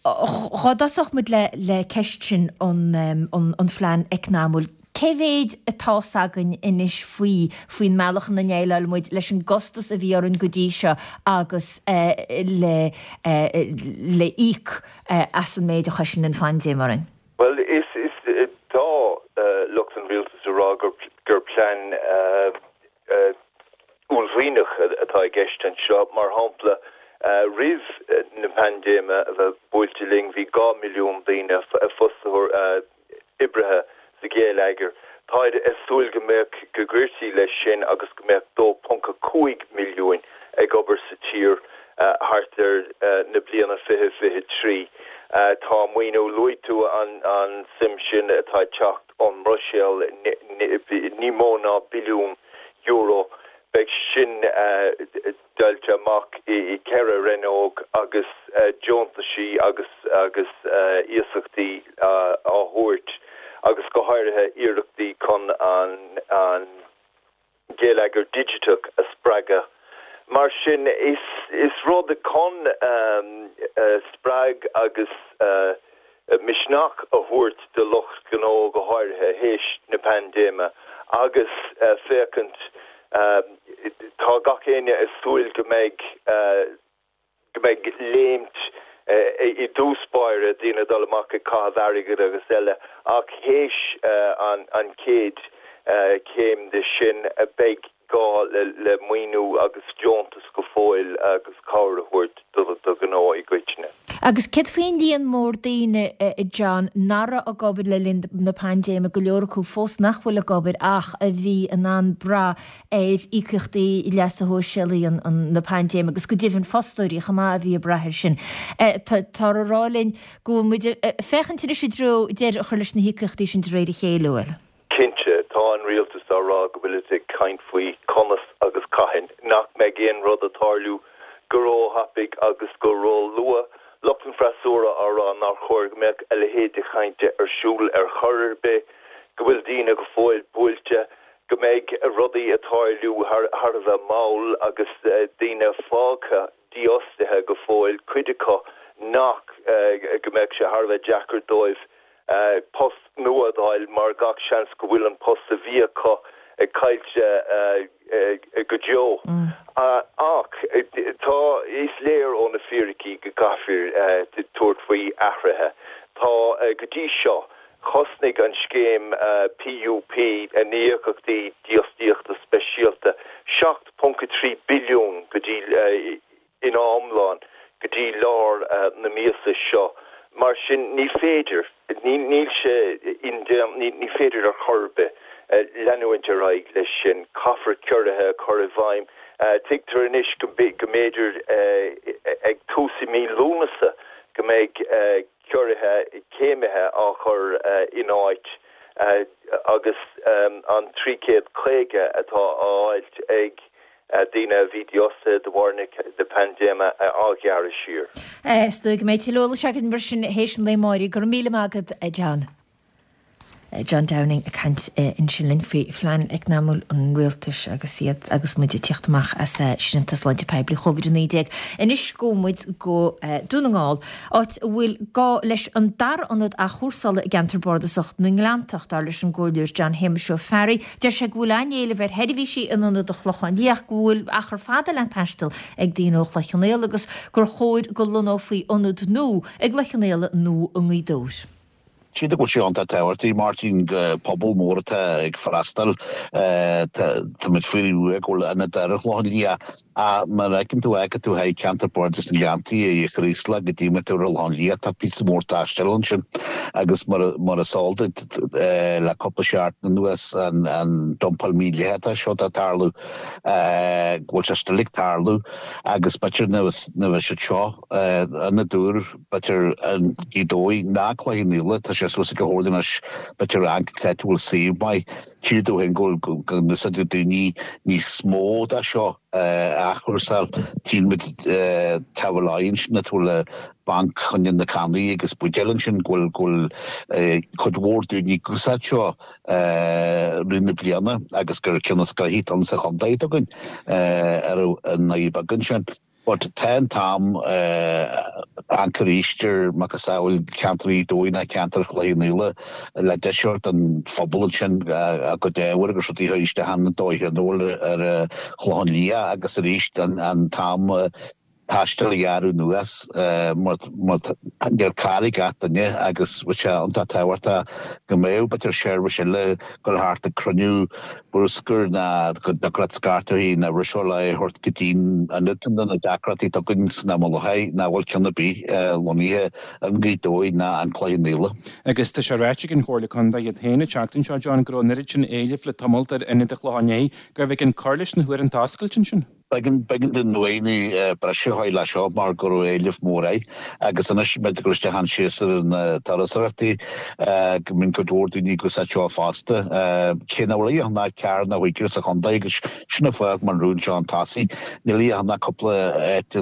Dhá dtosódh muid le le ceist sin an an phlean eacnamúil, cé mhéid atá's againn anois faoi faoin mbealach ina ndéileáil muid leis an gcostas a bhí orainn go dtí seo agus le le íoc as an méid a chuir an phaindéim orainn? Bhuel, is is tá lucht an rialtais ag rá gur gur plean uaillmhianach atá i gceist anseo. Mar shampla, roimh na paindéime a bheith buailte linn, bhí dhá milliún daoine, fostaithe, oibrithe sa ghéilleagar. Táid ag súil go mbeadh, go gcuirtí leis sin agus go mbeadh dó ponc a cúig milliúin ag obair sa tír thart ar na bliana fiche fiche trí. Tá maoiniú, luaigh tú an an suim sin atá ag teacht ón mBruiséil, ní mó ná billiún euro. Beidh sin deighilte amach i ceithre rannóg agus deontaisí agus agus iasachtaí á thabhairt agus go háirithe iarrachtaí chun an an geilleagar digiteach a spreagadh. Mar sin is is rud chun spreag agus misneach a thabhairt do lucht gnó go háirithe théis na paindéime agus féachaint tá gach éinne ag súil go mbeidh go mbeidh léimt i dtús báire, daoine ag dul amach ag caitheamh airgid agus eile ach théis an an chéad chéim de sin beidh gá le maoiniú agus deontas go fóill agus cabhair a thabhairt do ghnó i gcoitinne. Agus céard faoin líon mór daoine, a John, nach raibh ag obair le linn na paindéime, go leor acu fós nach bhfuil ag obair ach a bhí in ann brath ar íocaíochtaí leasa shóisialaigh na paindéime agus go deimhin fostóirí chomh maith a bhí ag brath air sin. Táthar ag rá linn go bhfuil muid ag féachaint anois i dtreo deireadh a chur leis na híocaíochtaí sin de réir a chéile, an bhfuil? Cinnte, tá an rialtas á rá go bhfuilid ag caint faoi conas agus cathain nach mbeidh aon rud ag tarlú go róthapaidh agus go róluath. Lucht an freasúra á rá nár chóir go mbeadh a leithéid de chainte ar siúl ar chor ar bith, go bhfuil daoine go fóill buailte, go mbeidh rudaí ag tarlú thar a bheith mall agus daoine fágtha dífhostaithe go fóill, cuid acu nach go mbeadh sé thar a bheith deacair dóibh post nua a fháil mar gach seans go bhfuil an post a bhí acu caillte go deo. Ach tá, is léir ó na fíricí go gcaithfear tabhairt faoi athruithe. Tá, go dtí seo, chosnaigh an scéim PUP, na híocaíochtaí dífhostaíochta speisialta, seacht ponc a trí billiún go dtí ina iomlán go dtí lár na míosa seo. Mar sin, ní féidir, níl sé indéanta, ní féidir ar chor ar bith leanúint ar aghaidh leis sin. Caithfear ciorruithe a chur i bhfeidhm. Tuigtear anois go mb'fhéidir ag tús i mí Lúnasa go mbeidh ciorruithe céimithe á chur in áit agus an trí chéad caoga atá á fháilt ag daoine a bhí dífhostaithe de bharr na paindéime á ghearradh siar. Is dóigh go mbeidh tuilleadh eolais againn mar sin théis an lae amáirigh. Go raibh míle maith agat, a John. John Downing ag caint ansin linn faoi phlean eacnamúil an rialtais agus iad agus muid ag tíocht amach as srianta sláinte poiblí Covid a naoi déag. Anois gabhfaidh muid go Dún na nGall, áit a bhfuil gá leis an dara ionad athchúrsála i gceantar bardasach na nGleanntach, dar leis an gComhairleoir John Shéamuis Ó Fearraigh. Deir sé go bhfuil an-éileamh ar sheirbhísí in ionad an Chlocháin Liath, go bhfuil achar fada le taisteal ag daoine ó Chloich Cheann Fhaola agus gur chóir go lonnófaí ionad nua i gCloich Cheann Fhaola nó i nGaoth Dobhair. Sílim go bhfuil sé iontach tábhachtach, Máirtín, go pobal mór atá ag freastal. Táimid faoi go bhfuil ionad ar an Chlochán Liath. Ach mar a fheiceann tú, fágfaidh tú thar ceantar Bardais na nGleanntaí i Chraoslach go dtí tú ar an Chlochán Liath, tá píosa mór taistil ansin agus mar is eol duit le cúpla seachtain anuas an dumpáil mídhleathach seo atá ag tarlú, go bhfuil sé still ag tarlú agus b'fhéidir na bheadh siad seo ionad úr, b'fhéidir i nGaoth Dobhair ná Cloich Cheann Fhaola, tá sé suas ag an Chomhairle anois, b'fhéidir an áit a bhfuil suíomh maith. Tchífidh tú féin go bhfuil go n-úsáideann daoine níos mó de seo a athchúrsáil. Tchíonn muid taobh amuigh ansin atá le banc choinne na cannaí agus buidéil ansin go bhfuil go bhfuil cuid mhór daoine ag úsáid seo rith na bliana agus gur ceann is gnoithí atá ann sa chontae atá againn ar an nDoire Beag ansin. But tá an t-am amharc arís ar macasamhail ceantar Ghaoth Dobhair ná ceantar Chloich Cheann Fhaola le deis a thabhairt don phobal ansin a gcuid ábhair agus rudaí a chur isteach an dóigh ar ar an Chlochán Liath agus arís an t-am taistil a ghearradh anuas mar níl carr ag gach duine agus bheadh sé iontach tábhachtach go mbeadh b'fhéidir seirbhís eile ag dul thart ag cruinniú bruscair ná go dtiocfadh leat scairt uirthi ná ruiseáil é a thabhairt go dtí'n ionad na deacrachtaí atá againn san am i láthair nach bhfuil ceann ar bith lonnaithe i nGaoth Dobhair ná an Cloich Cheann Fhaola. Agus tá sé ráite ag an Chomhairle Contae iad féin an tseachtain seo, John, go raibh an oiread sin éilimh le tamalt ar ionad an Chlocháin Léith gurbh éigean cur leis na huaireanta oscailte ansin. B'éigean b'éigean dúinn maoiniú breise a fháil leis seo mar go raibh éileamh mór air agus anois muid ag dul isteach an séasúr na turasóireachtaí go mbíonn cuid mhór daoine ag úsáid seo fosta. Cé nach bhfuil ach ná ceathair nó cúigear sa chontae agus sin an fáth mar rún seo an tosaigh. Níl ach ná cúpla áit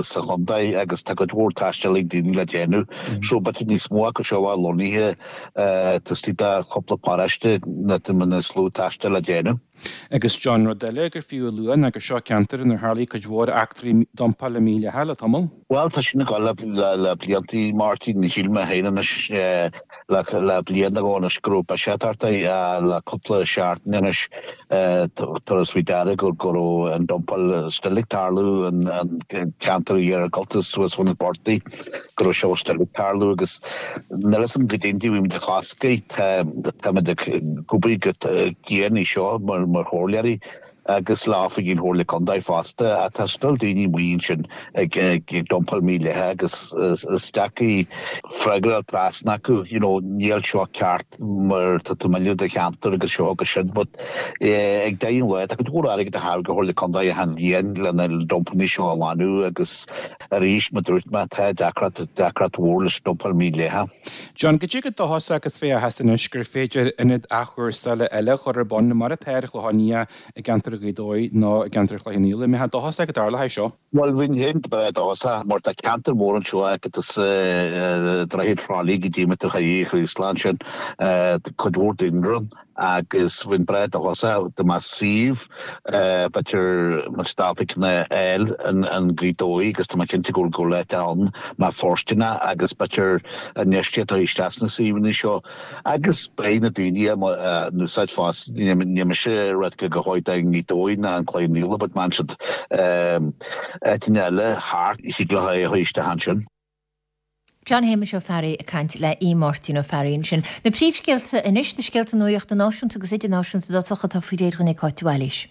sa chontae agus tá cuid mhór taistil ag daoine le déanamh. So b'fhéidir níos mó acu seo a lonnaithe taobh istigh de chúpla paróiste na na slú taistil le déanamh. Agus John rud eile gur fiú a lua ná gur seo ceantar inar tharlaigh cuid mhór eachtraí dumpála mídhleathaí le tamall. Bhuel tá sin ag dul le le bliantaí Martin shíl mé féin anois le le bliain nó dhó anois go raibh biseach thart le cúpla seachtain anois tabharfas faoi deara go go raibh an dumpáil still ag tarlú an an ceantar iargúlta suas bhun na portaigh go raibh seo still ag tarlú agus níl a fhios agam goidé an bhfuil muid ag chosc tá táimid ag obair go dian air seo mar mar chomhairleoirí agus le oifigigh an Chomhairle Contae fosta ach tá still daoine amuigh ansin ag ag dumpáil mídhleathach agus is deacair freagra trasna acu you know níl seo ceart mar tá tú ag milleadh do cheantar agus seo agus sin but ag deireadh an lae tá cuid mhór airgid a thabhairt go Chomhairle Contae achan bhliain lena dumpanna seo a ghlanadh agus arís mar dúirt mé tá deacracht deacracht mhór leis dumpáil mídhleathach. John, goidé chomh dóchasach agus a bheifeá anois gur féidir ionad athchúrsála eile a chur ar bun mar atá ar Chlochán Liath i gceantar Ghaoth Dobhair nó i gceantar Chloich Cheann Fhaola. An mbeifeá dóchasach go dtarlóidh seo? Bhuel bheinn féin breá dóchasach mar tá ceantar mór anseo agus Droichead Thrá Lí go dtí Maigh Chraoslaigh ansin cuid mhór daoine ann agus bheinn breá dóchasach dá mbeadh suíomh b'fhéidir muid ábalta ceann a fháil in Gaoth Dobhair agus tá mé cinnte go bhfuil go bhfuil áit ann mar fóirsteanach agus b'fhéidir infheistíocht a isteach sna suíomhanna seo agus beidh na daoine in úsáid fosta níl mise ag rá go gcaithfidh i nGaoth Dobhair ná an Cloich Cheann Fhaola but man siad áiteanna eile thart thig leo é a chur isteach ansin. John Shéamuis Ó Fearraigh ag caint le Aodh Máirtín Ó Fearraigh ansin. Na príomhscéalta anois, na scéalta nuachta náisiúnta agus idirnáisiúnta dá atá faoi réir ag Cáit Bhailís.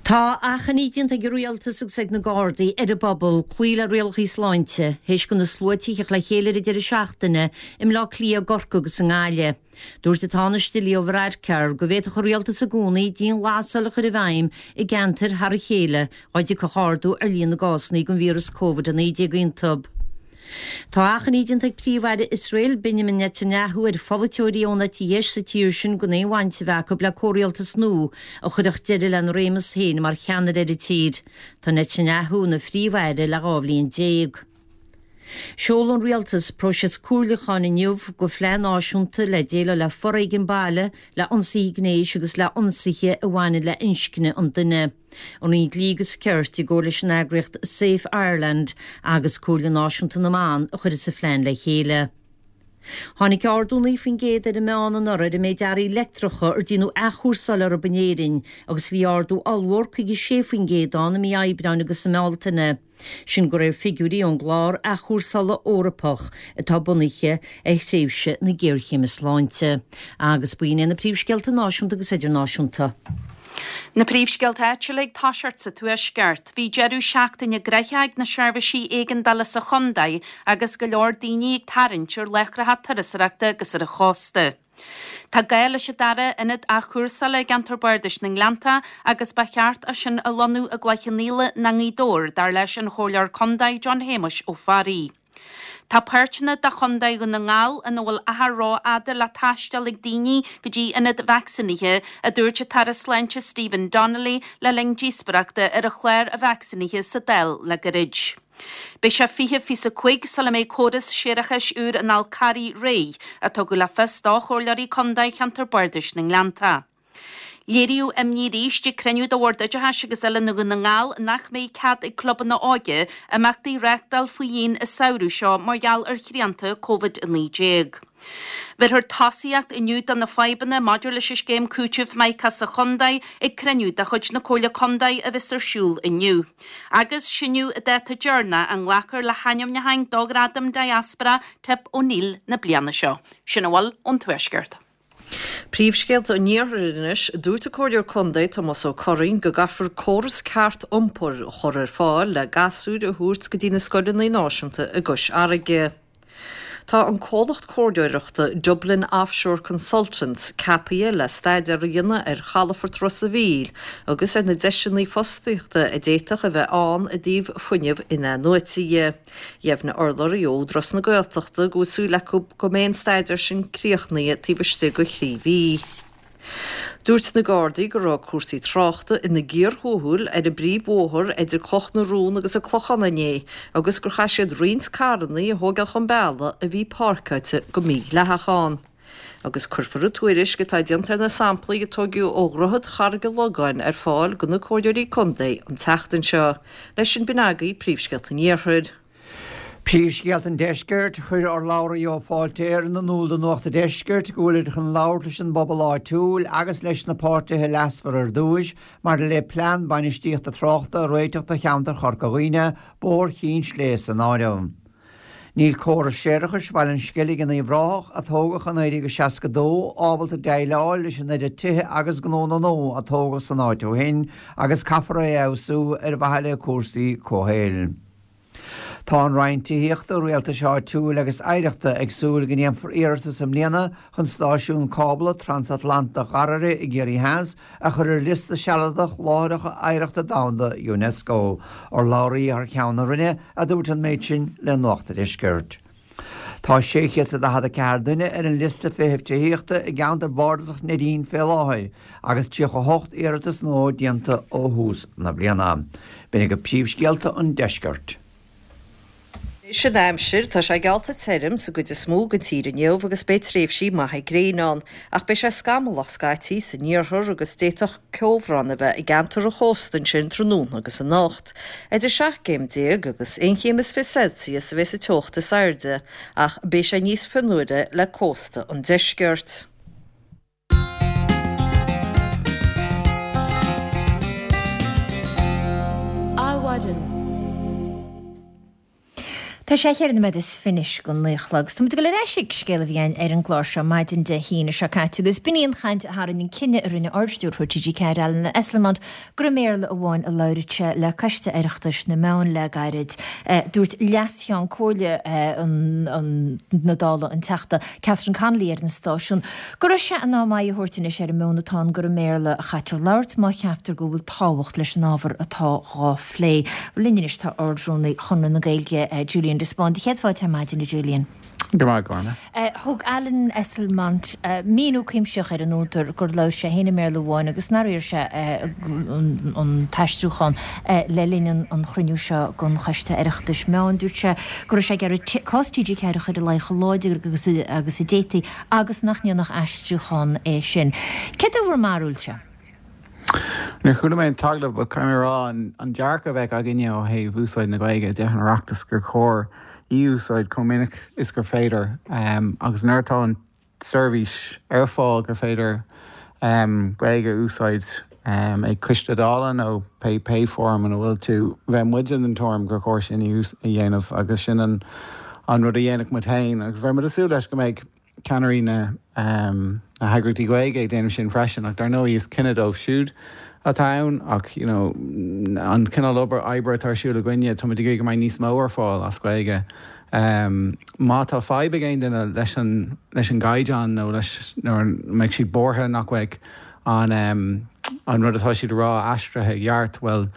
Tá achainí déanta ag an rialtas agus ag na Gardaí ar an bpobal cloí le rialacha sláinte, théis do na sluaite theacht le chéile ar an deireadh seachtaine i mBleá Cliath, i gCorcaigh agus i nGaillimh. Dúirt an Tánaiste Leo Varadkar go bhféadfadh an rialtas i gcónaí dianghlasáil a chur i bhfeidhm i gceantair thar a chéile dá dtiocfadh ardú ar líon na gcásanna den víreas Covid a naoi déag iontu. Tá achainí déanta ag Príomh-Aire Iosrael Benjamin Netanyahu ar pholaiteoirí ón eite dheis sa tír sin gan aon bhaint a bheith acu le comhrialtas nua a chuirfeadh deireadh lena réimeas féin mar cheannaire ar an tír. Tá Netanyahu ina phríomh-aire le dhá bhliain déag. Sheol an rialtas próiseas comhairliúcháin inniu do phlean náisiúnta le déileáil le foréigean baile, le ionsaithe gnéis agus le ionsaithe a bhaineann le inscne an duine. An Roinn Dlí agus Cirt i gcomhar leis an eagraíocht Safe Ireland agus Comhairle Náisiúnta na mBan a chuir sa phlean le chéile. Tháinig ardú naoi faoin gcéad ar an meán anuraidh ar an méid earraí leictreacha ar déanadh athchúrsáil orthu in Éirinn agus bhí ardú ollmhór caoga sé faoin gcéad ann i mí Aibreáin agus i mBealtaine. Sin de réir figiúirí ón gclár athchúrsála Eorpach atá bunaithe ar thréimhse na géarchéime sláinte. Agus b'in iad na príomhscéalta náisiúnta agus idirnáisiúnta. Na príomhscéalta áitiúla ag toiseacht sa Tuaisceart, bhí deireadh seachtaine gnoitheach ag na seirbhísí éigeandála sa chontae agus go leor daoine ag tarraingt ar láithreacha turasóireachta agus ar an chósta. Tá gá leis an dara ionad athchúrsála i gceantar Bardais na nGleannta agus ba cheart é sin a lonnú i gCloich Cheann Fhaola nó i nGaoth Dobhair, dar leis an Chomhairleoir Contae John Shéamuis Ó Fearraigh. Tá páirteanna de Chontae Dhún na nGall ina bhfuil achar rófhada le taisteal ag daoine go dtí ionad vacsaínithe, a dúirt an tAire Sláinte Stephen Donnelly le linn díospóireachta ar an chlár vacsaínithe sa Dáil le gairid. Beidh sé fiche fiche a cúig sula mbeidh córas séarachais úr an Fhál Carraigh réidh, a tugadh le fios do chomhairleoirí contae cheantar Bardais na nGleannta. Léiríodh imní arís ag cruinniú de Bhord Oideachais agus Oiliúna Dhún na nGall nach mbeidh cead ag clubanna óige imeachtaí a reáchtáil faoi dhíon an samhradh seo mar gheall ar shrianta Covid a naoi déag. Bhéarfar tosaíocht inniu do na fadhbanna maidir leis an scéim cúitimh Mica sa chontae ag cruinniú de chuid na Comhairle Contae a bheas ar siúl inniu. Agus sin an dáta deireanach a nglacfar le hainmniúcháin do Ghradam Diaspora Tip O'Neill na bliana seo. Sin a bhfuil ón Tuaisceart. Príomhscéalta an Iarthair anois, dúirt an Comhairleoir Contae Tomás Ó Curraoin go gcaithfear córas ceart iompair a chur ar fáil le gasúir a thabhairt go dtí na scoileanna náisiúnta i gCois Fharraige. Tá an comhlacht comhairleoireachta Dublin Offshore Consultants ceaptha le staidéar a dhéanamh ar chalafort Ros an Mhíl agus ar na deiseanna fostaíochta a d'fhéadfadh a bheith ann i dtaobh fuinneamh in-athnuaite dhe. Dheimhnigh urlabhraí ó Údarás na Gaeltachta go bhfuil súil acu go mbeidh an staidéar sin críochnaithe taobh istigh de thrí mhí. Dúirt na Gardaí go raibh cúrsaí tráchta ina gcíor thuathail ar an bpríomhbhóthar idir Cloch na Rón agus an Clochán inné agus gur chaith siad roinnt carranna a thógáil chun bealaigh a bhí páirceáilte go mídhleathach ann. Agus cuirfear an tuairisc atá déanta ar na samplaí a tógadh ó Dhroichead Charraig an Logáin ar fáil do na Comhairleoirí Contae an tseachtain seo. Leis sin b'in agaibh príomhscéalta an Iarthair. Príomhscéalta an Deiscirt, Chuir urlabhraí ó Fáilte Éireann in iúl do Nuacht an Deiscirt go bhfuilid chun labhairt leis an bpobal áitiúil agus leis na páirtithe leasmhara ar dtúis maidir le plean bainistíochta tráchta a réiteach do cheantar Chorca Dhuibhne, Bóthar Chinn Sléibhe san áireamh. Níl córas séarachais Bhaile an Sceilg in Uíbh Ráthach, a tógadh i naoi déag seasca dó, ábalta déileáil leis an oiread tithe agus gnónna nua a tógadh san áit ó shin agus caithfear é a fheabhsú ar mhaithe le cúrsaí comhshaoil. Tá an Roinn Tithíochta, Rialtais Áitiúil agus Oidhreachta ag súil go ndéanfar iarratas i mbliana chun stáisiún cábla transatlantach Dharraire i gCiarraí Theas a chur ar liosta sealadach Láithreacha Oidhreachta Domhanda Unesco. Urlabhraí thar ceann na Roinne a dúirt an méid sin le Nuacht an Deiscirt. Tá sé chéad is daichead a ceathair duine ar an liosta feithimh tithíochta i gceantar bardasach Neidín fé láthair agus tríocha a hocht iarratas nua déanta ó thús na bliana. B'in agaibh príomhscéalta an deiscirt. Anois an aimsir, tá sé geallta tirim sa gcuid is mó den tír inniu agus beidh tréimhsí maithe gréine ann, ach beidh sé scamallach scaití san iarthar agus d'fhéadfadh ceobhrán a bheith i gceantar an chósta ansin tráthnóna agus anocht. Idir seacht gcéim déag agus aon chéim is fiche Celsius a bheas an teocht is airde, ach beidh sé níos fionnuaire le cósta an deiscirt. Adhmhaidin. Tá sé cheithre nóiméad is fiche anois go naoi a chlog. Tá muid ag dul ar ais ag scéal a bhí againn ar an gclár seo maidin Dé hAoine seo caite agus b'in í an chaint a tharraing an cinneadh a rinne Ardstiúrthóir T G ceathair Alan Esslemont gur i mBéarla amháin a labhródh sé le Coiste Oireachtais na Meán le gairid. Dúirt Leas-Cheann Comhairle na Dála an Teachta Catherine Connolly ar an stáisiún go raibh sé in am aghaidh a thabhairt anois ar an meon atá ann gur i mBéarla a chaitear labhairt má cheaptar go bhfuil tábhacht leis an ábhar atá dhá phlé. Linn anois tá Ard-Rúnaí Chonradh na Gaeilge Julian de Spáinn. Céad fáilte ar maidin a Julian. Go raibh maith agat, Orna. Thug Alan Esslemont míniú cuimsitheach ar an údar gur labhair sé féin i mBéarla amháin agus nár iarr sé an t-aistriúchán le linn an chruinniú seo den Choiste Oireachtais Meán. Dúirt sé go raibh sé ag iarraidh cás T G ceathair a chur i leith chomh láidir agus a d'fhéadfaí agus nach ndéanfadh aistriúchán é sin. Céard é bhur mbarúilse? Níor chuala mé an t-agallamh, but caithfidh mé a rá an dearcadh a bheadh againne ó thaobh úsáid na Gaeilge i dTithe an Oireachtais gur chóir í a úsáid chomh minic is gur féidir agus nuair atá an tseirbhís ar fáil gur féidir Gaeilge a úsáid ag coiste Dála nó pé pé fóram ina bhfuil tú, bheadh muide den tuairim gur chóir sin a dhéanamh agus sin an rud a dhéanfadh muid féin agus bheadh muid ag súil leis go mbeidh ceannairí na heagraíochtaí Gaeilge ag déanamh sin freisin ach dar ndóigh is cinneadh dóibh siúd atá ann ach you know an cineál obair oibre atá ar siúl againne táimid ag iarraidh go mbeidh níos mó ar fáil as Gaeilge. Má tá fadhb ag aon duine leis an leis an gcaighdeán nó leis nó mbeidh siad buartha nach mbeidh an an rud atá siad a rá aistrithe i gceart, bhuel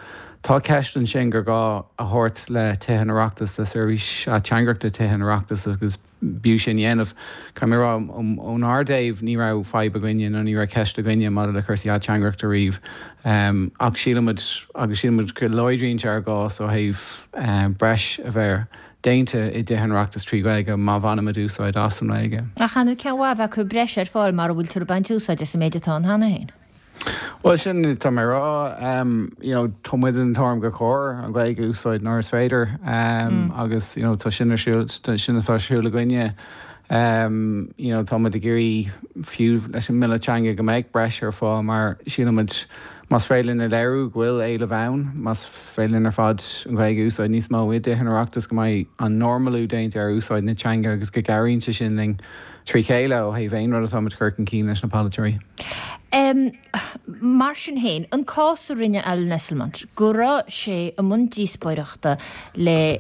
tá ceist ansin gur gá a thabhairt le Tithe an Oireachtais, le seirbhís ateangaireachta Tithe an Oireachtais agus b'fhiú sin a dhéanamh. Caithfidh mé a rá, ónár dtaobh, ní raibh fadhb againne nó ní raibh ceist againne maidir le cúrsaí ateangaireachta riamh. Ach sílimid, agus sílimid go láidríonn sé ár gcás ó thaobh breis a bheith déanta i dTithe an Oireachtais trí Ghaeilge má bhainimid úsáid as an nGaeilge. Ach an cén mhaith a bheith ag cur breis ar fáil mara bhfuil tú ag baint úsáid as an méid atá ann cheana féin? Bhuel, sin atá mé a rá. You know, tá muid den tuairim gur chóir an Ghaeilge a úsáid nuair is féidir agus you know, tá sin ar siúl, sin atá ar siúl againne. You know, tá muid ag iarraidh fiú leis an mBille Teanga go mbeidh breis ar fáil mar sílimid más féidir linn a léiriú go bhfuil éileamh ann, más féidir linn ar fad an Ghaeilge a úsáid níos mó i dTithe an Oireachtais go mbeidh an normalú déanta ar úsáid na teanga agus go gcabhraíonn sé sin linn trí chéile ó thaobh aon rud atá muid ag cur chun cinn leis na polaiteoirí. Mar sin féin, an cás a rinne Alan Esslemont, go raibh sé i mbun díospóireachta le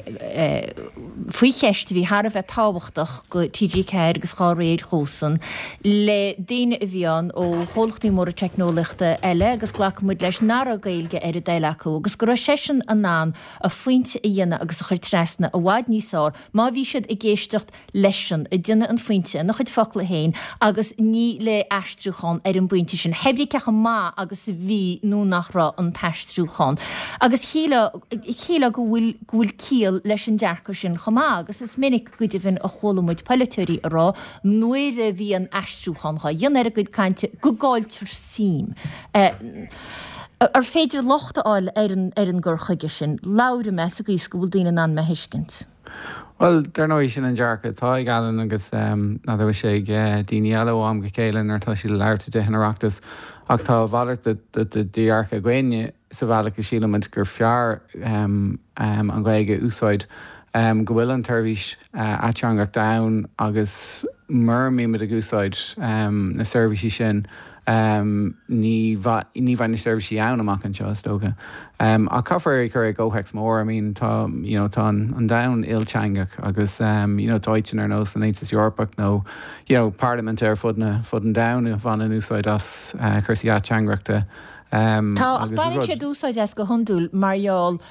faoi cheist a bhí thar a bheith tábhachtach go T G ceathair agus dhá réir dhósan, le daoine a bhí ann ó chomhlachtaí móra teicneolaíochta eile agus glacann muid leis nach raibh Gaeilge ar a dtoil acu agus go raibh seisean in ann a phointe a dhéanamh agus a chur trasna i bhfad níos fearr má bhí siad ag éisteacht leisean ag déanamh an phointe ina chuid focla féin agus ní le aistriúchán ar an bpointe sin, hé brí cé chomh maith agus a bhí nó nach raibh an t-aistriúchán. Agus shílfeá go bhfuil go bhfuil ciall leis an dearcadh sin chomh maith agus is minic go deimhin a chuala muid polaiteoirí a rá nuair a bhíonn aistriúchán dhá dhéanamh ar a gcuid cainte go gcailltear suim. Ar féidir locht a fháil ar an ar an gcur chuige sin? Labhraím mé sa gcaoi is go bhfuil daoine in ann mé a thuiscint. Bhuel, dar ndóigh sin an dearcadh atá ag Alan agus n'fheadar bhfuil sé ag daoine eile ó am go chéile nuair atá siad ag labhairt i dTithe an Oireachtais ach tá a mhalairt de dhearcadh againne sa bhealach go sílimid gur fearr an Ghaeilge a úsáid, go bhfuil an tseirbhís ateangaireachta ann agus mura mbímid ag úsáid na seirbhísí sin ní ní bheidh na seirbhísí ann amach anseo is dócha. Ach caithfear é a chur i gcomhthéacs mór, I mean tá you know tá an domhan ilteangach agus you know tá áiteanna ar nós an Aontas Eorpach nó you know parlaimint ar fud na fud an domhain a bhaineann úsáid as cúrsaí ateangaireachta. Tá ach baineann siad úsáid as go hiondúil mar gheall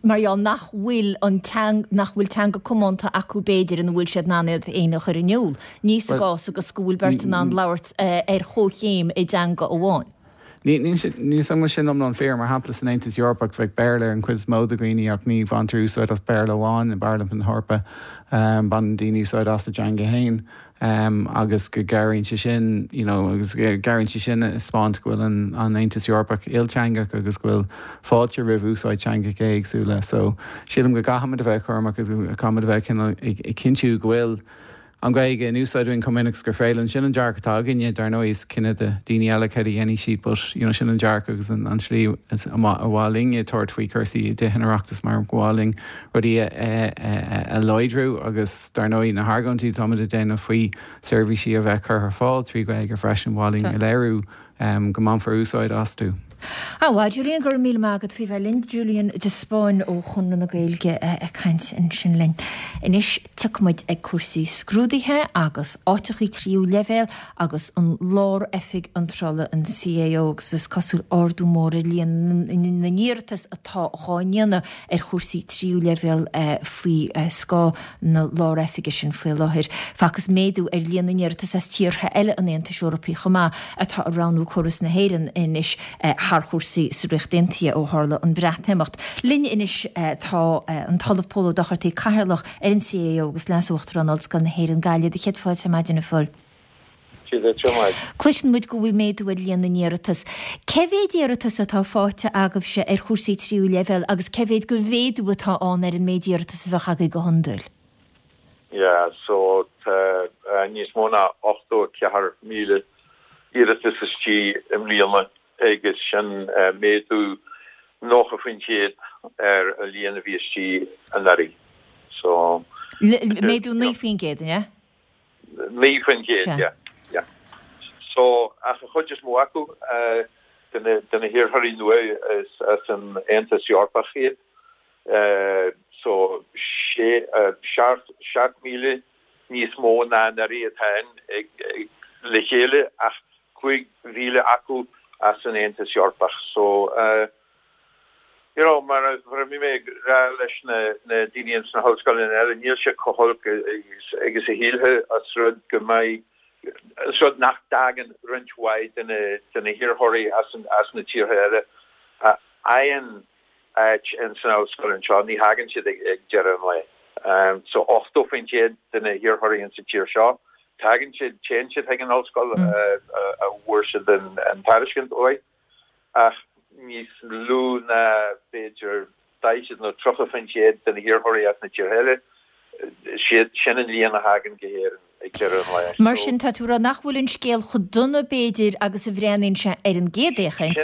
mar gheall nach bhfuil an teang nach bhfuil teanga comónta acu b'fhéidir ina bhfuil siad in ann iad féin a chur in iúl. Ní sa gcás agus go bhfuil beirt in ann labhairt ar chomhchéim i dteanga amháin. Ní ní san sin iomlán fíor mar shampla san Aontas Eorpach bheadh Béarla ar an chuid is mó de dhaoine ach ní bhaintear úsáid as Béarla amháin i bParlaimint na hEorpa baineann daoine úsáid as a dteanga féin agus go gcabhraíonn sé sin you know agus cabhraíonn sé sin taispeáint go bhfuil an an Aontas Eorpach ilteangach agus go bhfuil fáilte roimh úsáid teangacha éagsúla. So sílim go gcaithfimid a bheith cúramach agus caithfimid a bheith ag cinntiú go bhfuil an Ghaeilge in úsáid againn chomh minic gur féidir sin an dearcadh atá againne dar ndóigh is cinneadh do daoine eile céard a dhéanfaidh siad but you know sin an dearcadh agus an an slí a mhaith linn tabhairt faoi chúrsaí i dTithe an Oireachtais mar go mhaith linn rudaí a láidriú agus dar ndóigh na hargóintí táimid ag déanamh faoi seirbhísí a bheith curtha ar fáil trí Ghaeilge freisin mhaith linn a léiriú go mbainfear úsáid astu. Á Julian go raibh míle maith agat faoi bheith linn Julian de Spáinn ó Chonradh na Gaeilge ag caint ansin linn. Anois tiocfaimid ag cúrsaí scrúduithe agus áiteachaí tríú leibhéal agus an Lár-Oifig Iontrála an C A O agus is cosúil ardú mór ar líon na n-iarratas atá dhá ndéanamh ar chúrsaí tríú leibhéal faoi scáth na Lár-Oifige sin faoi láthair. Facthas méadú ar líon na n-iarratas as tíortha eile an Aontais Eorpaigh chomh maith atá ag roghnú córas na hÉireann anois thar chúrsaí sa Ríocht Aontaithe ó tharla an Bhreatimeacht. Linn anois tá an tOllamh Pól Ó Dochartaigh Cathaoirleach ar an C A O agus Leas-Uachtarán Ollscoil na hÉireann Gaillimh do chéad fáilte maidin a Phóil. Cloiseann muid go bhfuil méadú ar líon na n-iarratas. Cé mhéad iarratas atá faighte agaibhse ar chúrsaí tríú leibhéal agus cé mhéad de mhéadú atá ann ar an méid iarratas a bheadh agaibh go hiondúil? Yeah, so tá níos mó ná ochtó ceathair míle iarratas istigh i mbliana agus sin méadú nócha faoin gcéad ar an líon a bhí istigh anuraidh. So Méadú naoi faoin gcéad, ne? Naoi faoin gcéad, yeah. Yeah. So ach an chuid is mó acu de na hiarrthóirí nua is as an Aontas Eorpach iad. So sé seacht míle níos mó ná anuraidh atá le chéile ach cúig mhíle acu as an Aontas Eorpach. So uh, you know, mar mar a bhí mé ag rá leis na na daoine sna hollscoileanna eile níl sé chomh holc agus a shílfeá as rud go mbeidh rud nach dtagann roinnt mhaith de na de na hiarrthóirí as an as na tíortha eile a fhaigheann áit in san ollscoil anseo ní thagann siad ag ag deireadh an lae. Um, so ochtó faoin gcéad de na hiarrthóirí in sa tír seo tagann siad téann siad ag an ollscoil mm. uh, a bhfuair siad an, an tairiscint uaidh ach níos lú ná b'fhéidir daichead nó tríocha faoin gcéad de na hiarrthóirí as na tíortha eile siad sin an líon a thagann go hÉirinn ag deireadh an lae. Mar sin tá tú ag rá nach bhfuil an scéal chomh dona b'fhéidir agus a bhreathnaíonn sé ar an gcéad fhéachaint.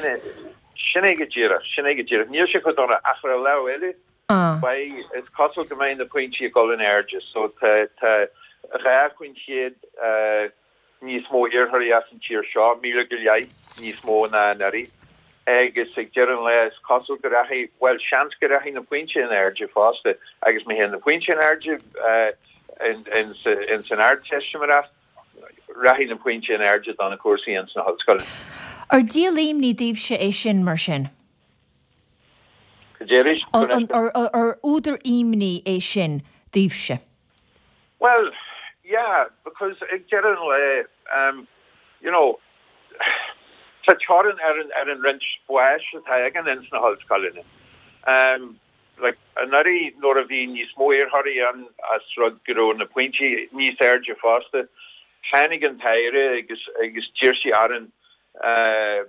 Sin é go díreach sin é go díreach níl sé chomh dona ach ar an lámh eile Beidh is cosúil go mbeidh na pointí ag dul in airde so tá dhá faoin gcéad níos mó iarrthóirí as an tír seo, míle go leith níos mó ná anuraidh, agus ag deireadh an lae is cosúil go rachaidh, bhuel, seans go rachaidh na pointí in airde fosta, agus má théann na pointí in airde ins an Ardteistiméireacht, rachaidh na pointí in airde do na cúrsaí ins na hollscoileanna. Ar díol imní daoibhse é sin, mar sin? Cad é arís? Ar údar imní é sin daoibhse? Bhuel, yeah, because ag deireadh an lae, um, you know, tá teorainn ar an, ar an roinnt spáis atá againn ins na hollscoileanna. Um, like, anuraidh nuair a bhí níos mó iarrthóirí ann as rud go raibh na pointí níos airde fosta, tháinig an tAire agus, agus d'iarr sí orainn, uh,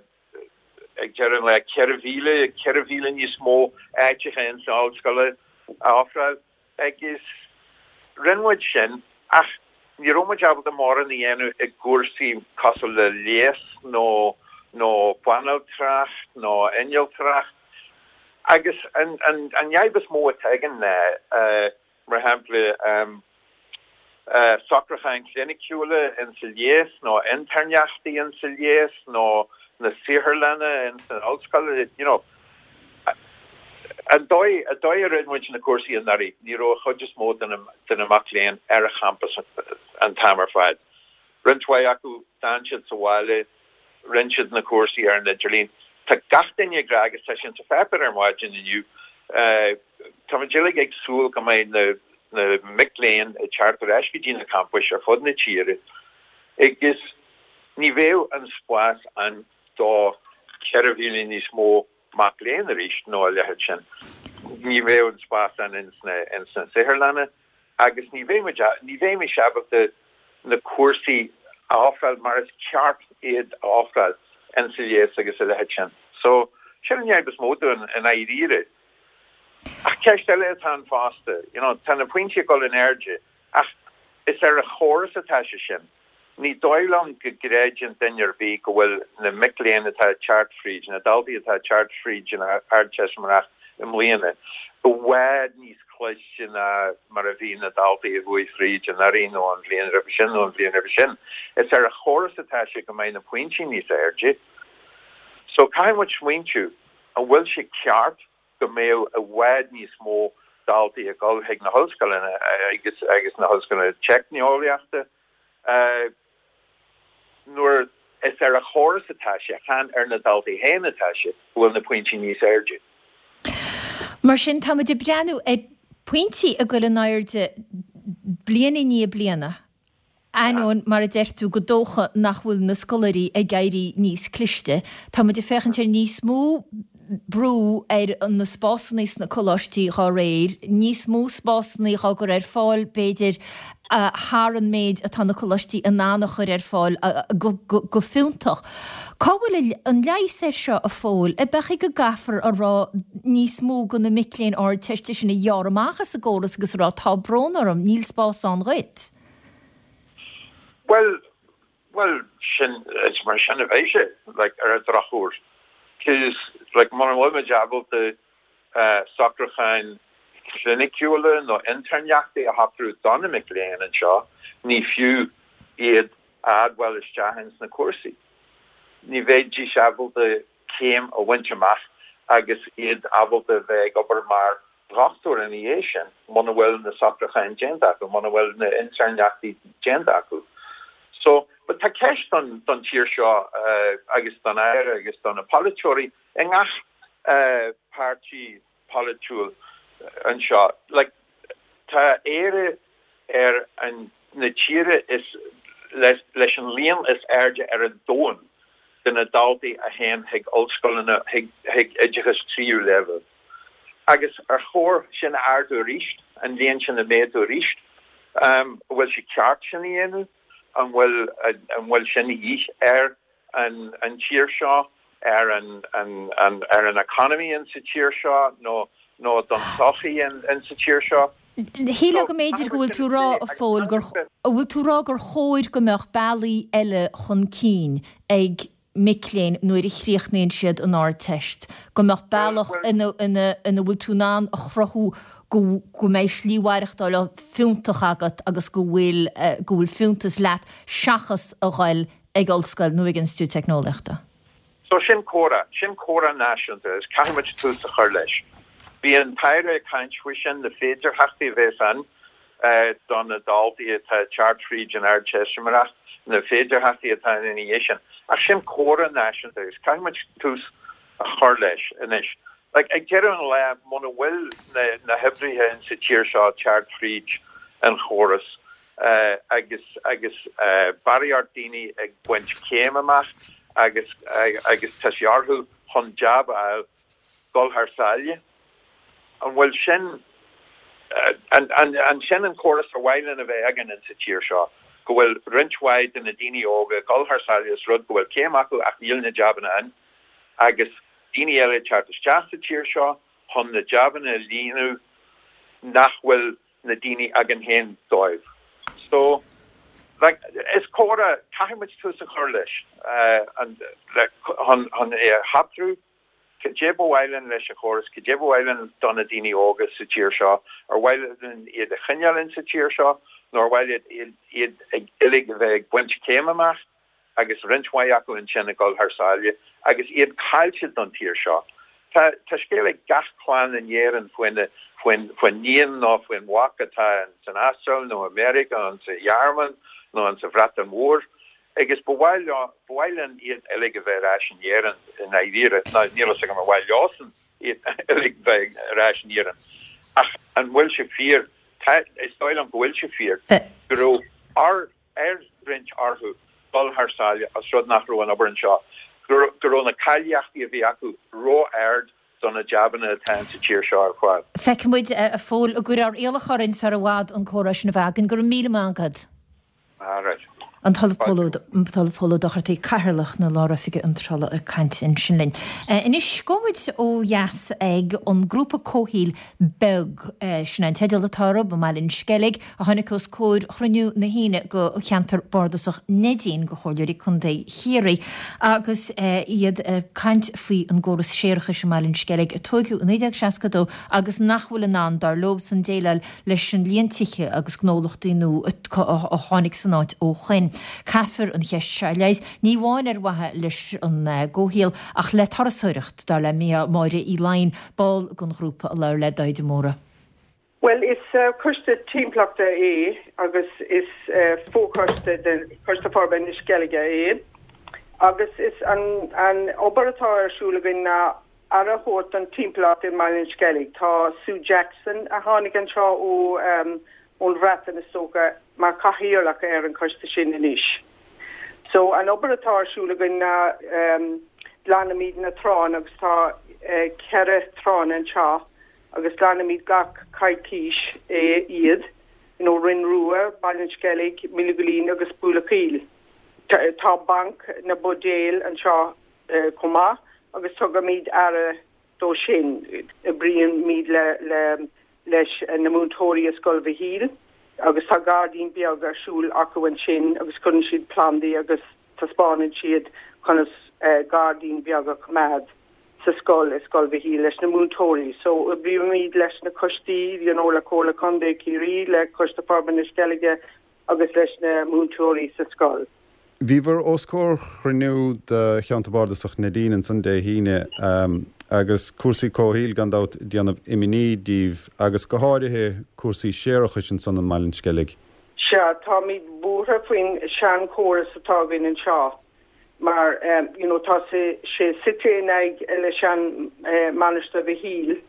ag deireadh an lae ceithre mhíle, ceithre mhíle níos mó áiteacha ins na hollscoile a ofráil agus rinne muid sin ach ní raibh muid ábalta mórán a dhéanamh i gcúrsaí cosúil le leigheas nó nó banaltracht nó innealtóireacht agus an an an fhadhb is mó atá againn ná mar shampla socrúcháin chliniciúla insa leigheas nó intéirneachtaí insa leigheas nó na saotharlanna ins an ollscoil, you know. An dóigh, an dóigh a rinne muid na cúrsaí anuraidh, ní raibh an chuid is mó de na, de na mac léinn ar an champas an t-am ar fad. Roinnt mhaith acu, d'fhan siad sa bhaile, rinne siad na cúrsaí ar an idirlíon. Tá gach duine ag rá, agus tá sé insa pháipéar ar maidin inniu, táimid uilig ag súil go mbeidh na, na mic léinn ag teacht ar ais go dtí na campais ar fud na tíre agus ní bheidh an spás ann do ceithre mhíle níos mó mac léinn arís nó a leithéid sin. Ní bheidh an spás ann ins na ins na saotharlanna agus ní bheidh muid ní bheimis ábalta na cúrsaí a ofráil mar is ceart iad a ofráil insa leigheas agus a leithéid sin. So, sin an fhadhb is mó dúinn i ndáiríre. Ach ceist eile atá ann fosta, you know, tá na pointí ag dul in airde, ach is ar an chóras atá sé sin. Ní dóigh liom go gcreideann duine ar bith go bhfuil na mic léinn atá ag teacht fríd, na daltaí atá ag teacht fríd an Ardteistiméireacht i mbliana, i bhfad níos cliste ná mar a bhí na daltaí a chuaigh fríd anuraidh nó an bhliain roimhe sin nó an bhliain roimhe sin. Is ar an chóras atá sé go mbeidh na pointí níos airde. So caithfidh muid smaointiú, an bhfuil sé ceart go mbeadh i bhfad níos mó daltaí ag dul chuig na hollscoileanna agus agus na hollscoileanna teicneolaíochta nuair is ar an chóras atá sé, chan ar na daltaí féin atá sé, go bhfuil na pointí níos airde. Mar sin, táimid ag breathnú ar phointí ag dul in airde bliain i ndiaidh bliana. Ainneoin, mar a deir tú, gur dócha nach bhfuil na scoláirí ag éirí níos cliste, tá muid ag féachaint ar níos mó brú ar na spásanna sna coláistí dhá réir, níos mó spásanna á gcur ar fáil, b'fhéidir, thar an méid atá na coláistí in ann a chur ar fáil go fiúntach. Cá bhfuil an leigheas air seo, a Phóil? Ab é go gcaithfear a rá níos mó de na mic léinn Ardteiste sin a ghearradh amach as an gcóras agus a rá 'tá brón orm, níl spás ann dhuit'? Bhuel, bhuel, sin, is mar sin a bheidh sé, like, ar an drochuair. Cos, like, mura bhfuil muid ábalta socrúcháin chliniciúla nó intéirneachtaí a shocrú do na mic léinn anseo, ní fiú iad a admháil isteach ins na cúrsaí. Ní bheidís ábalta céim a bhaint amach agus iad ábalta a bheith ag obair mar dhochtúir ina dhiaidh sin muna bhfuil na socrúcháin déanta acu, muna bhfuil na intéirneachtaí déanta acu. So, but tá ceist don don tír seo agus don Aire agus do na polaiteoirí i ngach páirtí polaitiúil anseo. Like, tá Éire ar an na tíre is leis an líon is airde ar an domhan de na daltaí a théann chuig ollscoileanna, chuig oideachas tríú leibhéal. Agus ar chóir sin a ardú arís, an líon sin a mhéadú arís? An bhfuil sé ceart sin a dhéanamh? An bhfuil an bhfuil sin de dhíth ar an an tír seo, ar an an an ar an economy in sa tír seo nó nó don tsochaí in in sa tír seo? Shílfeá go mb'fhéidir go bhfuil tú ag rá, a Phóil, gur, an bhfuil tú ag rá gur chóir go mbeadh bealaí eile chun cinn ag mic léinn nuair a chríochnaíonn siad an Ardteist, go mbeadh bealach ina ina ina bhfuil tú in ann a chruthú go go mbeidh slí mhaireachtála fiúntach agat agus go bhfuil go bhfuil fiúntas leat seachas a ghoil ag ollscoil nó ag institiúid teicneolaíochta. So sin comhrá, sin comhrá náisiúnta is caithfimid tús a chur leis. Bhí an tAire ag caint faoi sin na féidearthachtaí a bheas ann do na daltaí atá ag teacht fríd an Ardteistiméireacht, na féidearthachtaí atá ina dhiaidh sin. Ach sin comhrá náisiúnta agus caithfimid tús a chur leis anois. Like, ag deireadh an lae muna bhfuil na, na hoibrithe in sa tír seo teacht fríd an chóras uh, agus agus uh, barraíocht daoine ag baint céim amach agus agus tá sé orthu chun jab a fháil dul thar sáile. An bhfuil sin an, an, an sin an córas ar mhaith linn a bheith againn in sa tír seo, go bhfuil roinnt mhaith de na daoine óga dul thar sáile is rud go bhfuil céim acu ach níl na jabanna ann agus daoine eile teacht isteach sa tír seo chun na jabanna a líonadh nach bhfuil na daoine againn féin dóibh. So like, is comhrá caithfimid tús a chur leis uh, an le, chun chun é a athrú Cad é ba mhaith linn leis an chóras, cad é ba mhaith linn do na daoine óga sa tír seo, ar mhaith linn iad a choinneáil in sa tír seo, nó ar mhaith iad iad ag uilig a bheith ag baint céim amach agus roinnt mhaith acu ansin ag dul thar sáile agus iad caillte don tír seo. Tá tá scéal ag gach clann in Éirinn faoin faoin faoin níon nó faoin mhac atá san Astráil nó America an sa Ghearmáin nó an sa Bhreatain Mhór. agus ba mhaith ba mhaith linn iad uilig a bheith ar ais in Éirinn i ndáiríre ná níl a fhios agam ar mhaith leosan iad uilig bheith ar ais in Éirinn. Ach an bhfuil sé fíor is dóigh liom go bhfuil sé fíor go raibh ar ar roinnt orthu dul thar sáile as rud nach raibh an obair anseo, go raibh na cáilíochtaí a bhí acu ró-ard do na jabanna atá sa tír seo ar fáil. Feicfimid a Phóil an gcuirfear iallach orainn sar i bhfad an comhrá sin a bheith againn go raibh míle maith agat. Right. An tOllamh Pól Ó Dochartaigh Cathaoirleach na Lároifige Iontrála ag caint ansin linn. Anois gabhfaidh muid ó dheas ag an grúpa comhshaoil Beag sin an teideal atá orthu i mBaile an Sceilg a tháinig os comhair chruinniú na hAoine go cheantar bardasach Neidín go Chomhairleoirí Contae Chiarraí agus iad ag caint faoi an gcóras séarachais i mBaile an Sceilg a tógadh i naoi déag seasca dó agus nach bhfuil in ann dar leosan déileáil leis an líon tithe agus gnólachtaí nua a tháinig san áit ó shoin. Caithfear an cheist seo a leigheas, ní amháin ar mhaithe leis an gcomhshaol ach le turasóireacht, dar le Máire Uí Laighin, ball den ghrúpa a labhair le Daithí de Mórdha. Well is uh, coiste timpeallachta é agus is uh, fochoiste den Choiste Forbartha na Sceilge é. Agus is an, an obair atá ar siúl againn ná aire a thabhairt don timpeallacht i mBaile an Sceilg. Tá Sue Jackson a tháinig anseo ó um, ón Bhreatain is dócha mar cathaoirleach ar an choiste sin anois. So an obair atá ar siúl againn ná um, glanaimid na tránna agus tá uh, ceithre tránna anseo agus glanaimid gach coicís é iad you know, Rinn Rua, Baile an Sceilg, Míle Goilín agus Buaile Tá, tá banc na buidéal anseo uh, chomh maith agus tugaimid aire dó sin oibrímid le, le leis na múinteoirí i Scoil Mhichíl agus tá gairdín beag ar siúl acu ansin agus cuireann siad plandaí agus taispeánann siad conas uh, gairdín beag a choimeád sa scoil i Scoil Mhichíl leis na múinteoirí. So oibrímid leis na coistí you know, le Comhairle Contae Chiarraí le Coiste Forbartha na Sceilge agus leis na múinteoirí sa scoil. Bhíobhair os comhair chruinniú de cheantar bardasach Neidín ansan Dé hAoine um, agus cúrsaí comhshaoil gan dabht ag déanamh imní daoibh agus go háirithe cúrsaí séarachais ansan i mBaile an Sceilg. Sea táimid buartha faoin seanchóras atá againn anseo mar um, you know, tá sé sé suite in aice leis an uh, Mainistir Mhichíl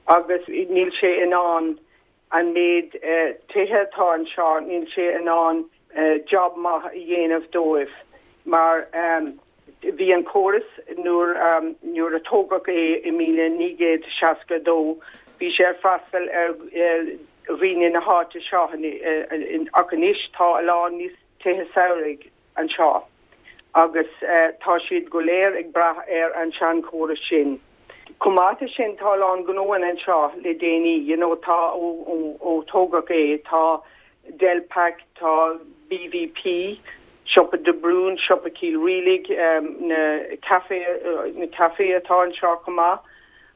agus níl sé in ann an méid uh, tithe atá anseo níl sé in ann uh, job maith a dhéanamh dóibh mar um, bhí an córas nuair um, nuair a tógadh é i míle naoi gcéad seasca dó bhí sé ag freastal ar dhaoine na háite seo ach anois tá a lán níos tithe samhraidh anseo agus uh, tá siad go léir ag brath ar an seanchóras sin. Chomh maith leis sin tá a lán gnóanna anseo le déanaí, you know, tá ó, ó, ó tógadh é tá Delpac tá BVP Siopa De Brún, Siopa Chill Rialaig, na café na café atá anseo chomh maith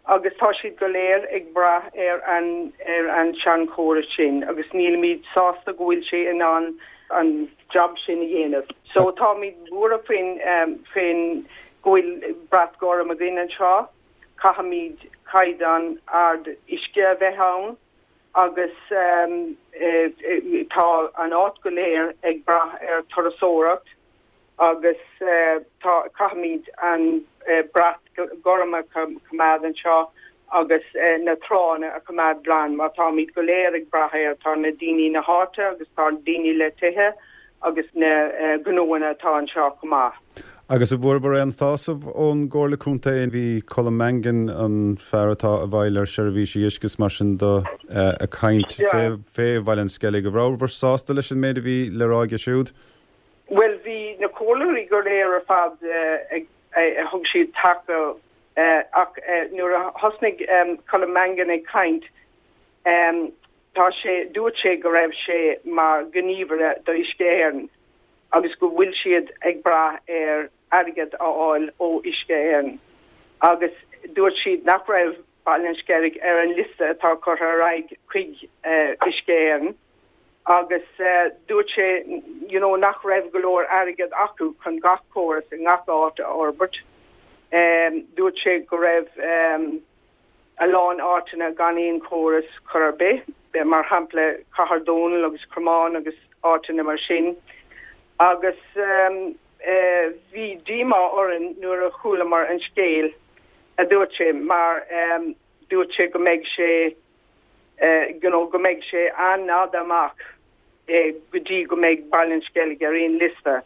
agus tá siad go léir ag brath ar an ar an seanchóras sin agus nílimid sásta go bhfuil sé in ann an job sin a dhéanamh. So táimid buartha faoin faoin go bhfuil brat gorm againn anseo, caithfimid caighdeán ard uisce a bheith ann agus tá an áit go léir ag brath ar turasóireacht agus tá caithfimid an brat gorm a choimeád anseo agus na tránna a choimeád glan mar táimid go léir ag brath air, tá na daoine na háite agus tá daoine le tithe agus na gnóanna atá anseo chomh maith. Agus an bhfuaireabhair aon tsásamh ón gComhairle Contae? Bhí Colm Mangan, an fear atá i bhfeighil ar seirbhísí uisce is mar sin de, ag caint fé Bhaile an Sceilg. An rabhabhair sásta leis an méid a bhí le rá aige siúd? Bhuel, bhí na comhairleoirí go léir ar fad ag, thug siad taca ach nuair a thosnaigh Colm Mangan ag caint, tá sé, dúirt sé go raibh sé mar ghníomhaire do Uisce Éireann. agus go bhfuil siad ag brath ar airgead a fháil ó Uisce Éireann agus dúirt siad nach raibh Baile an Sceilg ar an liosta atá curtha ar aghaidh chuig Uisce Éireann agus dúirt sé you know nach raibh go leor airgead acu chun gach córas i ngach áit a fhorbairt. Dúirt sé go raibh a lán áiteanna gan aon chóras chor ar bith, mar shampla Cathair Dónall agus Cromán agus áiteanna mar sin. Agus bhí díomá orainn nuair a chualamar an scéal a dúirt sé mar dúirt sé go mbeidh sé you know go mbeidh sé an-fhada amach go dtí go mbeidh Baile an Sceilg ar aon liosta.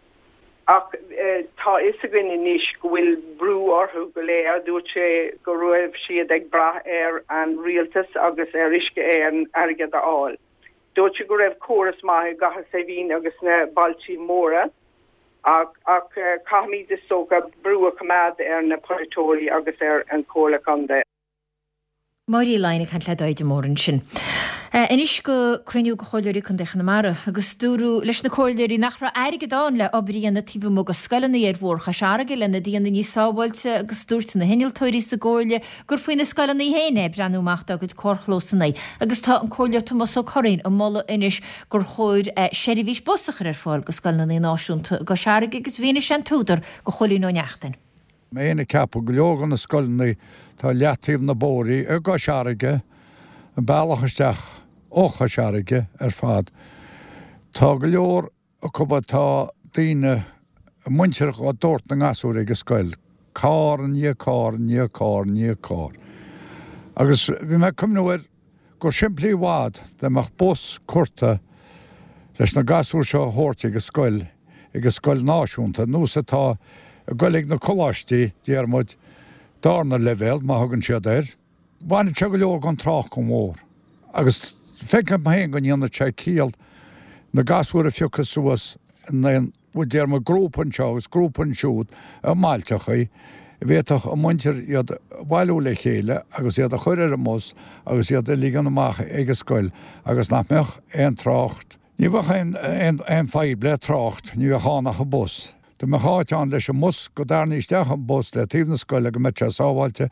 Ach tá a fhios againn anois go bhfuil brú orthu go léir. Dúirt sé go raibh siad ag brath ar an rialtas agus ar Uisce Éireann airgead a fháil. Dúirt sé go raibh córas maith i gCathair Saidhbhín agus sna bailtí móra ach ach caithfimid is dócha brú a choimeád ar na polaiteoirí agus ar an Chomhairle Contae. Máire Uí Laighin ag caint le Daid de Mór ansin. Anois go cruinniú de Chomhairleoirí Contae Chonamara agus dúradh leis na comhairleoirí nach raibh airgead ann le obair a dhéanamh taobh amuigh de scoileanna ar Bhóthar Chois Fharraige lena dhéanamh níos sábháilte agus dúirt na hinnealtóirí sa gcomhairle gur faoi na scoileanna féin é breathnú amach dá gcuid carrchlósanna agus tá an Comhairleoir Tomás Ó Curraoin ag moladh anois gur chóir seirbhís bus a chur ar fáil go scoileanna náisiúnta i gCois Fharraige agus mhínigh sé an t-údar do Chóilín Ó Neachtain. Mé féin ag ceapadh go leor de na scoileanna atá leataobh na bóithrí i gCois Fharraige, an bealach isteach ó Chois Fharraige ar fad, tá go leor acu atá daoine, muintir á dtabhairt na ngasúr ag an scoil, carr i ndiaidh carr i ndiaidh carr i ndiaidh carr. Agus bhí mé ag cuimhniú air gur simplí i bhfad dá mbeadh bus curtha leis na gasúir seo a thabhairt ag an scoil, ag an scoil náisiúnta, nós atá ag goil ag na coláistí, déarfaidh muid, darna leibhéal, má thugann siad air. Bhainfeadh sé go leor den trácht gon bhóthar. Agus feicim féin go ndéanfadh sé ciall na gasúir a phiocadh suas in aon, déarfaidh muid, grúpa anseo agus grúpa ansiúd i mbailteachaí, bhféadfadh a muintir iad a bhailiú le chéile agus iad a chur ar an mbus agus iad a ligean amach ag an scoil agus nach mbeadh aon trácht, ní bheadh aon aon fadhb le trácht, ní bheadh ann ach an bus. Dá mbeadh áit ann leis an mbus go dtarraingí isteach an bus le taobh na scoile go mbeadh sé sábháilte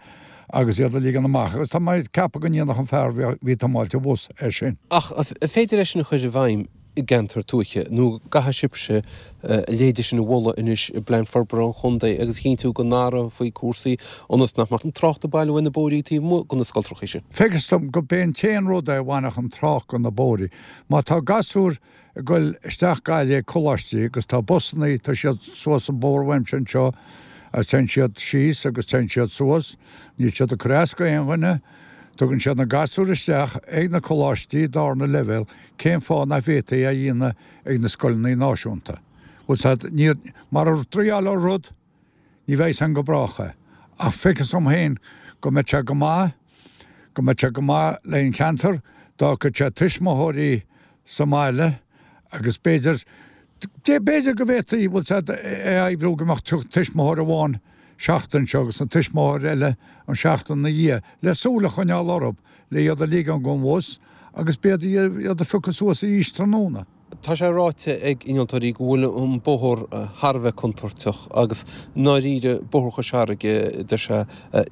agus iad a ligean amach agus tá mé ag ceapadh go ndéanfadh an fear a bhí ag tiomáilt an bhus é sin. Ach an féidir é sin a chur i bhfeidhm i gceantar tuaithe nó caithfidh sibhse a leithéid sin a mholadh anois i bPlean Forbartha an Chontae agus a chinntiú go n-athrófaí cúrsaí ionas nach mbeadh an trácht ag bailiú ar na bóithrí taobh amuigh de na scoltrachaí sin? Feictear dom go b'é an t-aon rud é a bhainfeadh an trácht go na bóithrí. Má tá gasúir ag goil isteach Gaillimh ag coláistí agus tá busannaí, tá siad suas an bóthar uaimse anseo agus téann siad síos agus téann siad suas, níl siad ag cur as go aon dhuine, tugann siad na gasúir isteach ag na coláistí darna leibhéal, cén fáth nach bhféadfaí é a dhéanamh ag na scoileanna náisiúnta? Bhfuil 's a'd, ní, mara dtriáilfeá rud, ní bheidh 's a'm go brách é. Ach feictear dom féin go mbeadh sé go maith, go mbeadh sé go maith le an cheantar dá bhfágfadh sé tuismitheoirí sa mbaile agus b'fhéidir, b'fhéidir go bhféadfaí, bhfuil 's a'd, é a oibriú go mbeadh tuismitheoir amháin seachtain seo agus an tuismitheoir eile an seachtain na dhiaidh le súil a choinneáil orthu le iad a ligean gon bhus agus b'fhéidir iad a phiocadh suas arís tráthnóna. Tá sé ráite ag innealtóirí go bhfuil an bóthar thar a bheith contúirteach agus i ndáiríre Bóthar Chois Fharraige, deir sé,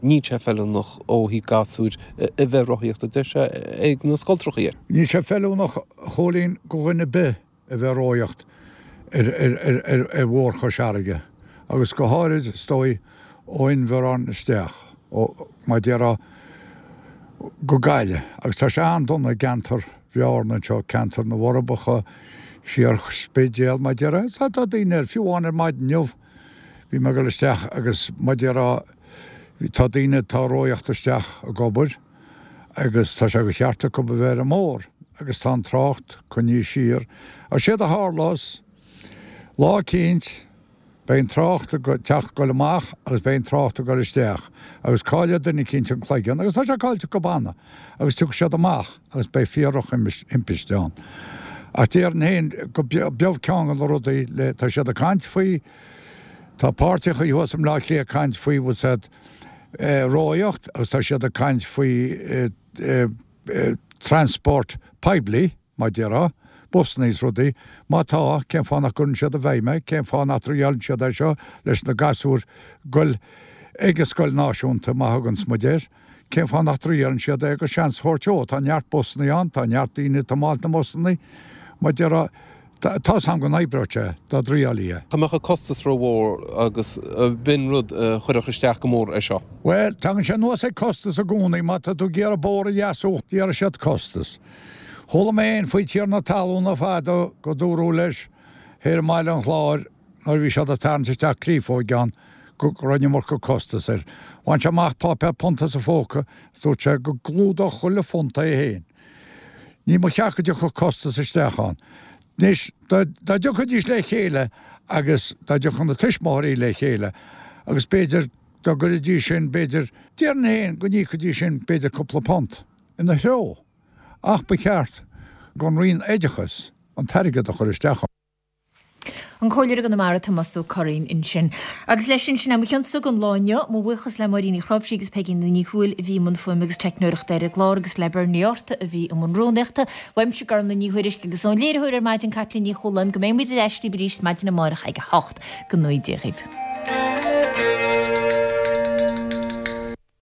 níl sé feiliúnach ó thaobh gasúir a bheith ag rothaíocht, a deir sé, ag na scoltrachaí air. Níl sé feiliúnach, a Chóilín, go dhuine ar bith a bheith ag rothaíocht ar Bhóthar Chois Fharraige agus go háirid, is dóigh, ó Inbhear isteach, ó, mar a déarfá, go Gaillimh agus tá sé an-dona i gceantar Bhearna anseo, ceantar na bhForbacha, siar Spidéal, mar a déarfá, tá daoine air, fiú amháin ar maidin inniu bhí mé ag dul isteach agus mar a déarfá, tá daoine atá ag rothaíocht isteach ag obair agus tá sé de cheart acu a bheith ar an mbóthar agus tá an trácht coinnithe siar. Agus séard a tharlós, lá eicínt, Beidh an trácht ag teacht ag goil amach agus beidh an trácht ag goil isteach agus caillfidh duine eicínt an cloigeann agus tá sé caillte acu cheana agus tiocfaidh siad amach agus beidh fíor-dhrochthimpiste ann. Ach déarfainn féin go b'shin ceann de na rudaí le, tá siad ag caint faoi, tá páirteachaí thuas i mBleá Cliath ag caint faoi bhfuil 's a'd rothaíocht agus tá siad ag caint faoi transport poiblí. Mar a déarfá, busanna is rudaí, má tá, cén fáth nach gcuireann siad i bhfeidhm é? Cén fáth nach dtriaileann siad é seo leis na gasúir goil ag an scoil náisiúnta, má thuganns muid air? Cén fáth nach dtriaileann siad é agus seans a thabhairt dó? Tá neart busanna ann, tá neart daoine ag tiomáint na mbusanna. Mar a déarfá, Tá's a'm go n-oibreodh sé dá dtriailfí é. Dá mbeadh an costas rómhór agus b'in rud a chuirfeadh isteach go mór air seo. Bhuel, tagann sé anuas ag costas i gcónaí. Má tá tú ag iarraidh bóthar a dheasú, iarrfaidh siad costas. Chuala mé fhéin faoi tiarna talúna fadó go dúradh leis thoir i mBaile an Chláir nuair a bhí siad ag tarraingt isteach créafóig ann go raibh an iomarca costas air. Bhain sé amach páipéar punt as a phóca is dúirt sé go gclúdódh chuile phunt é fhéin. Ní mba cheart go dtiocfadh costas isteach ann. Anois, dá dtiocfaidís le chéile agus dá dtiocfadh na tuismitheoirí le chéile agus b'fhéidir dá gcuirfidís sin, b'fhéidir, déarfainn féin go n-íocfaidís sin b'fhéidir cúpla punt ina threo. Ach ba cheart don Roinn Oideachais an t-airgead a chur isteach ann. An Comhairleoir i gConamara, Tomás Ó Curraoin ansin. Agus leis sin, sin é mo chionsa don lá inniu. Mo bhuíochas le Máirín Uí Chnáimhsí agus Peigín Ní Thuathail a bhí i mbun fuaime agus teicneoireachta ar an gclár agus le Bernie Arta a bhí i mbun rúnaíochta. Uaimse Gormlaith Ní Thuairisg agus ón léiritheoir ar maidin Caitlín Ní Chualáin go mbeidh muid ar ais daoibh arís maidin amárach ag a hocht. Go ngnóthaí Dia dhaoibh.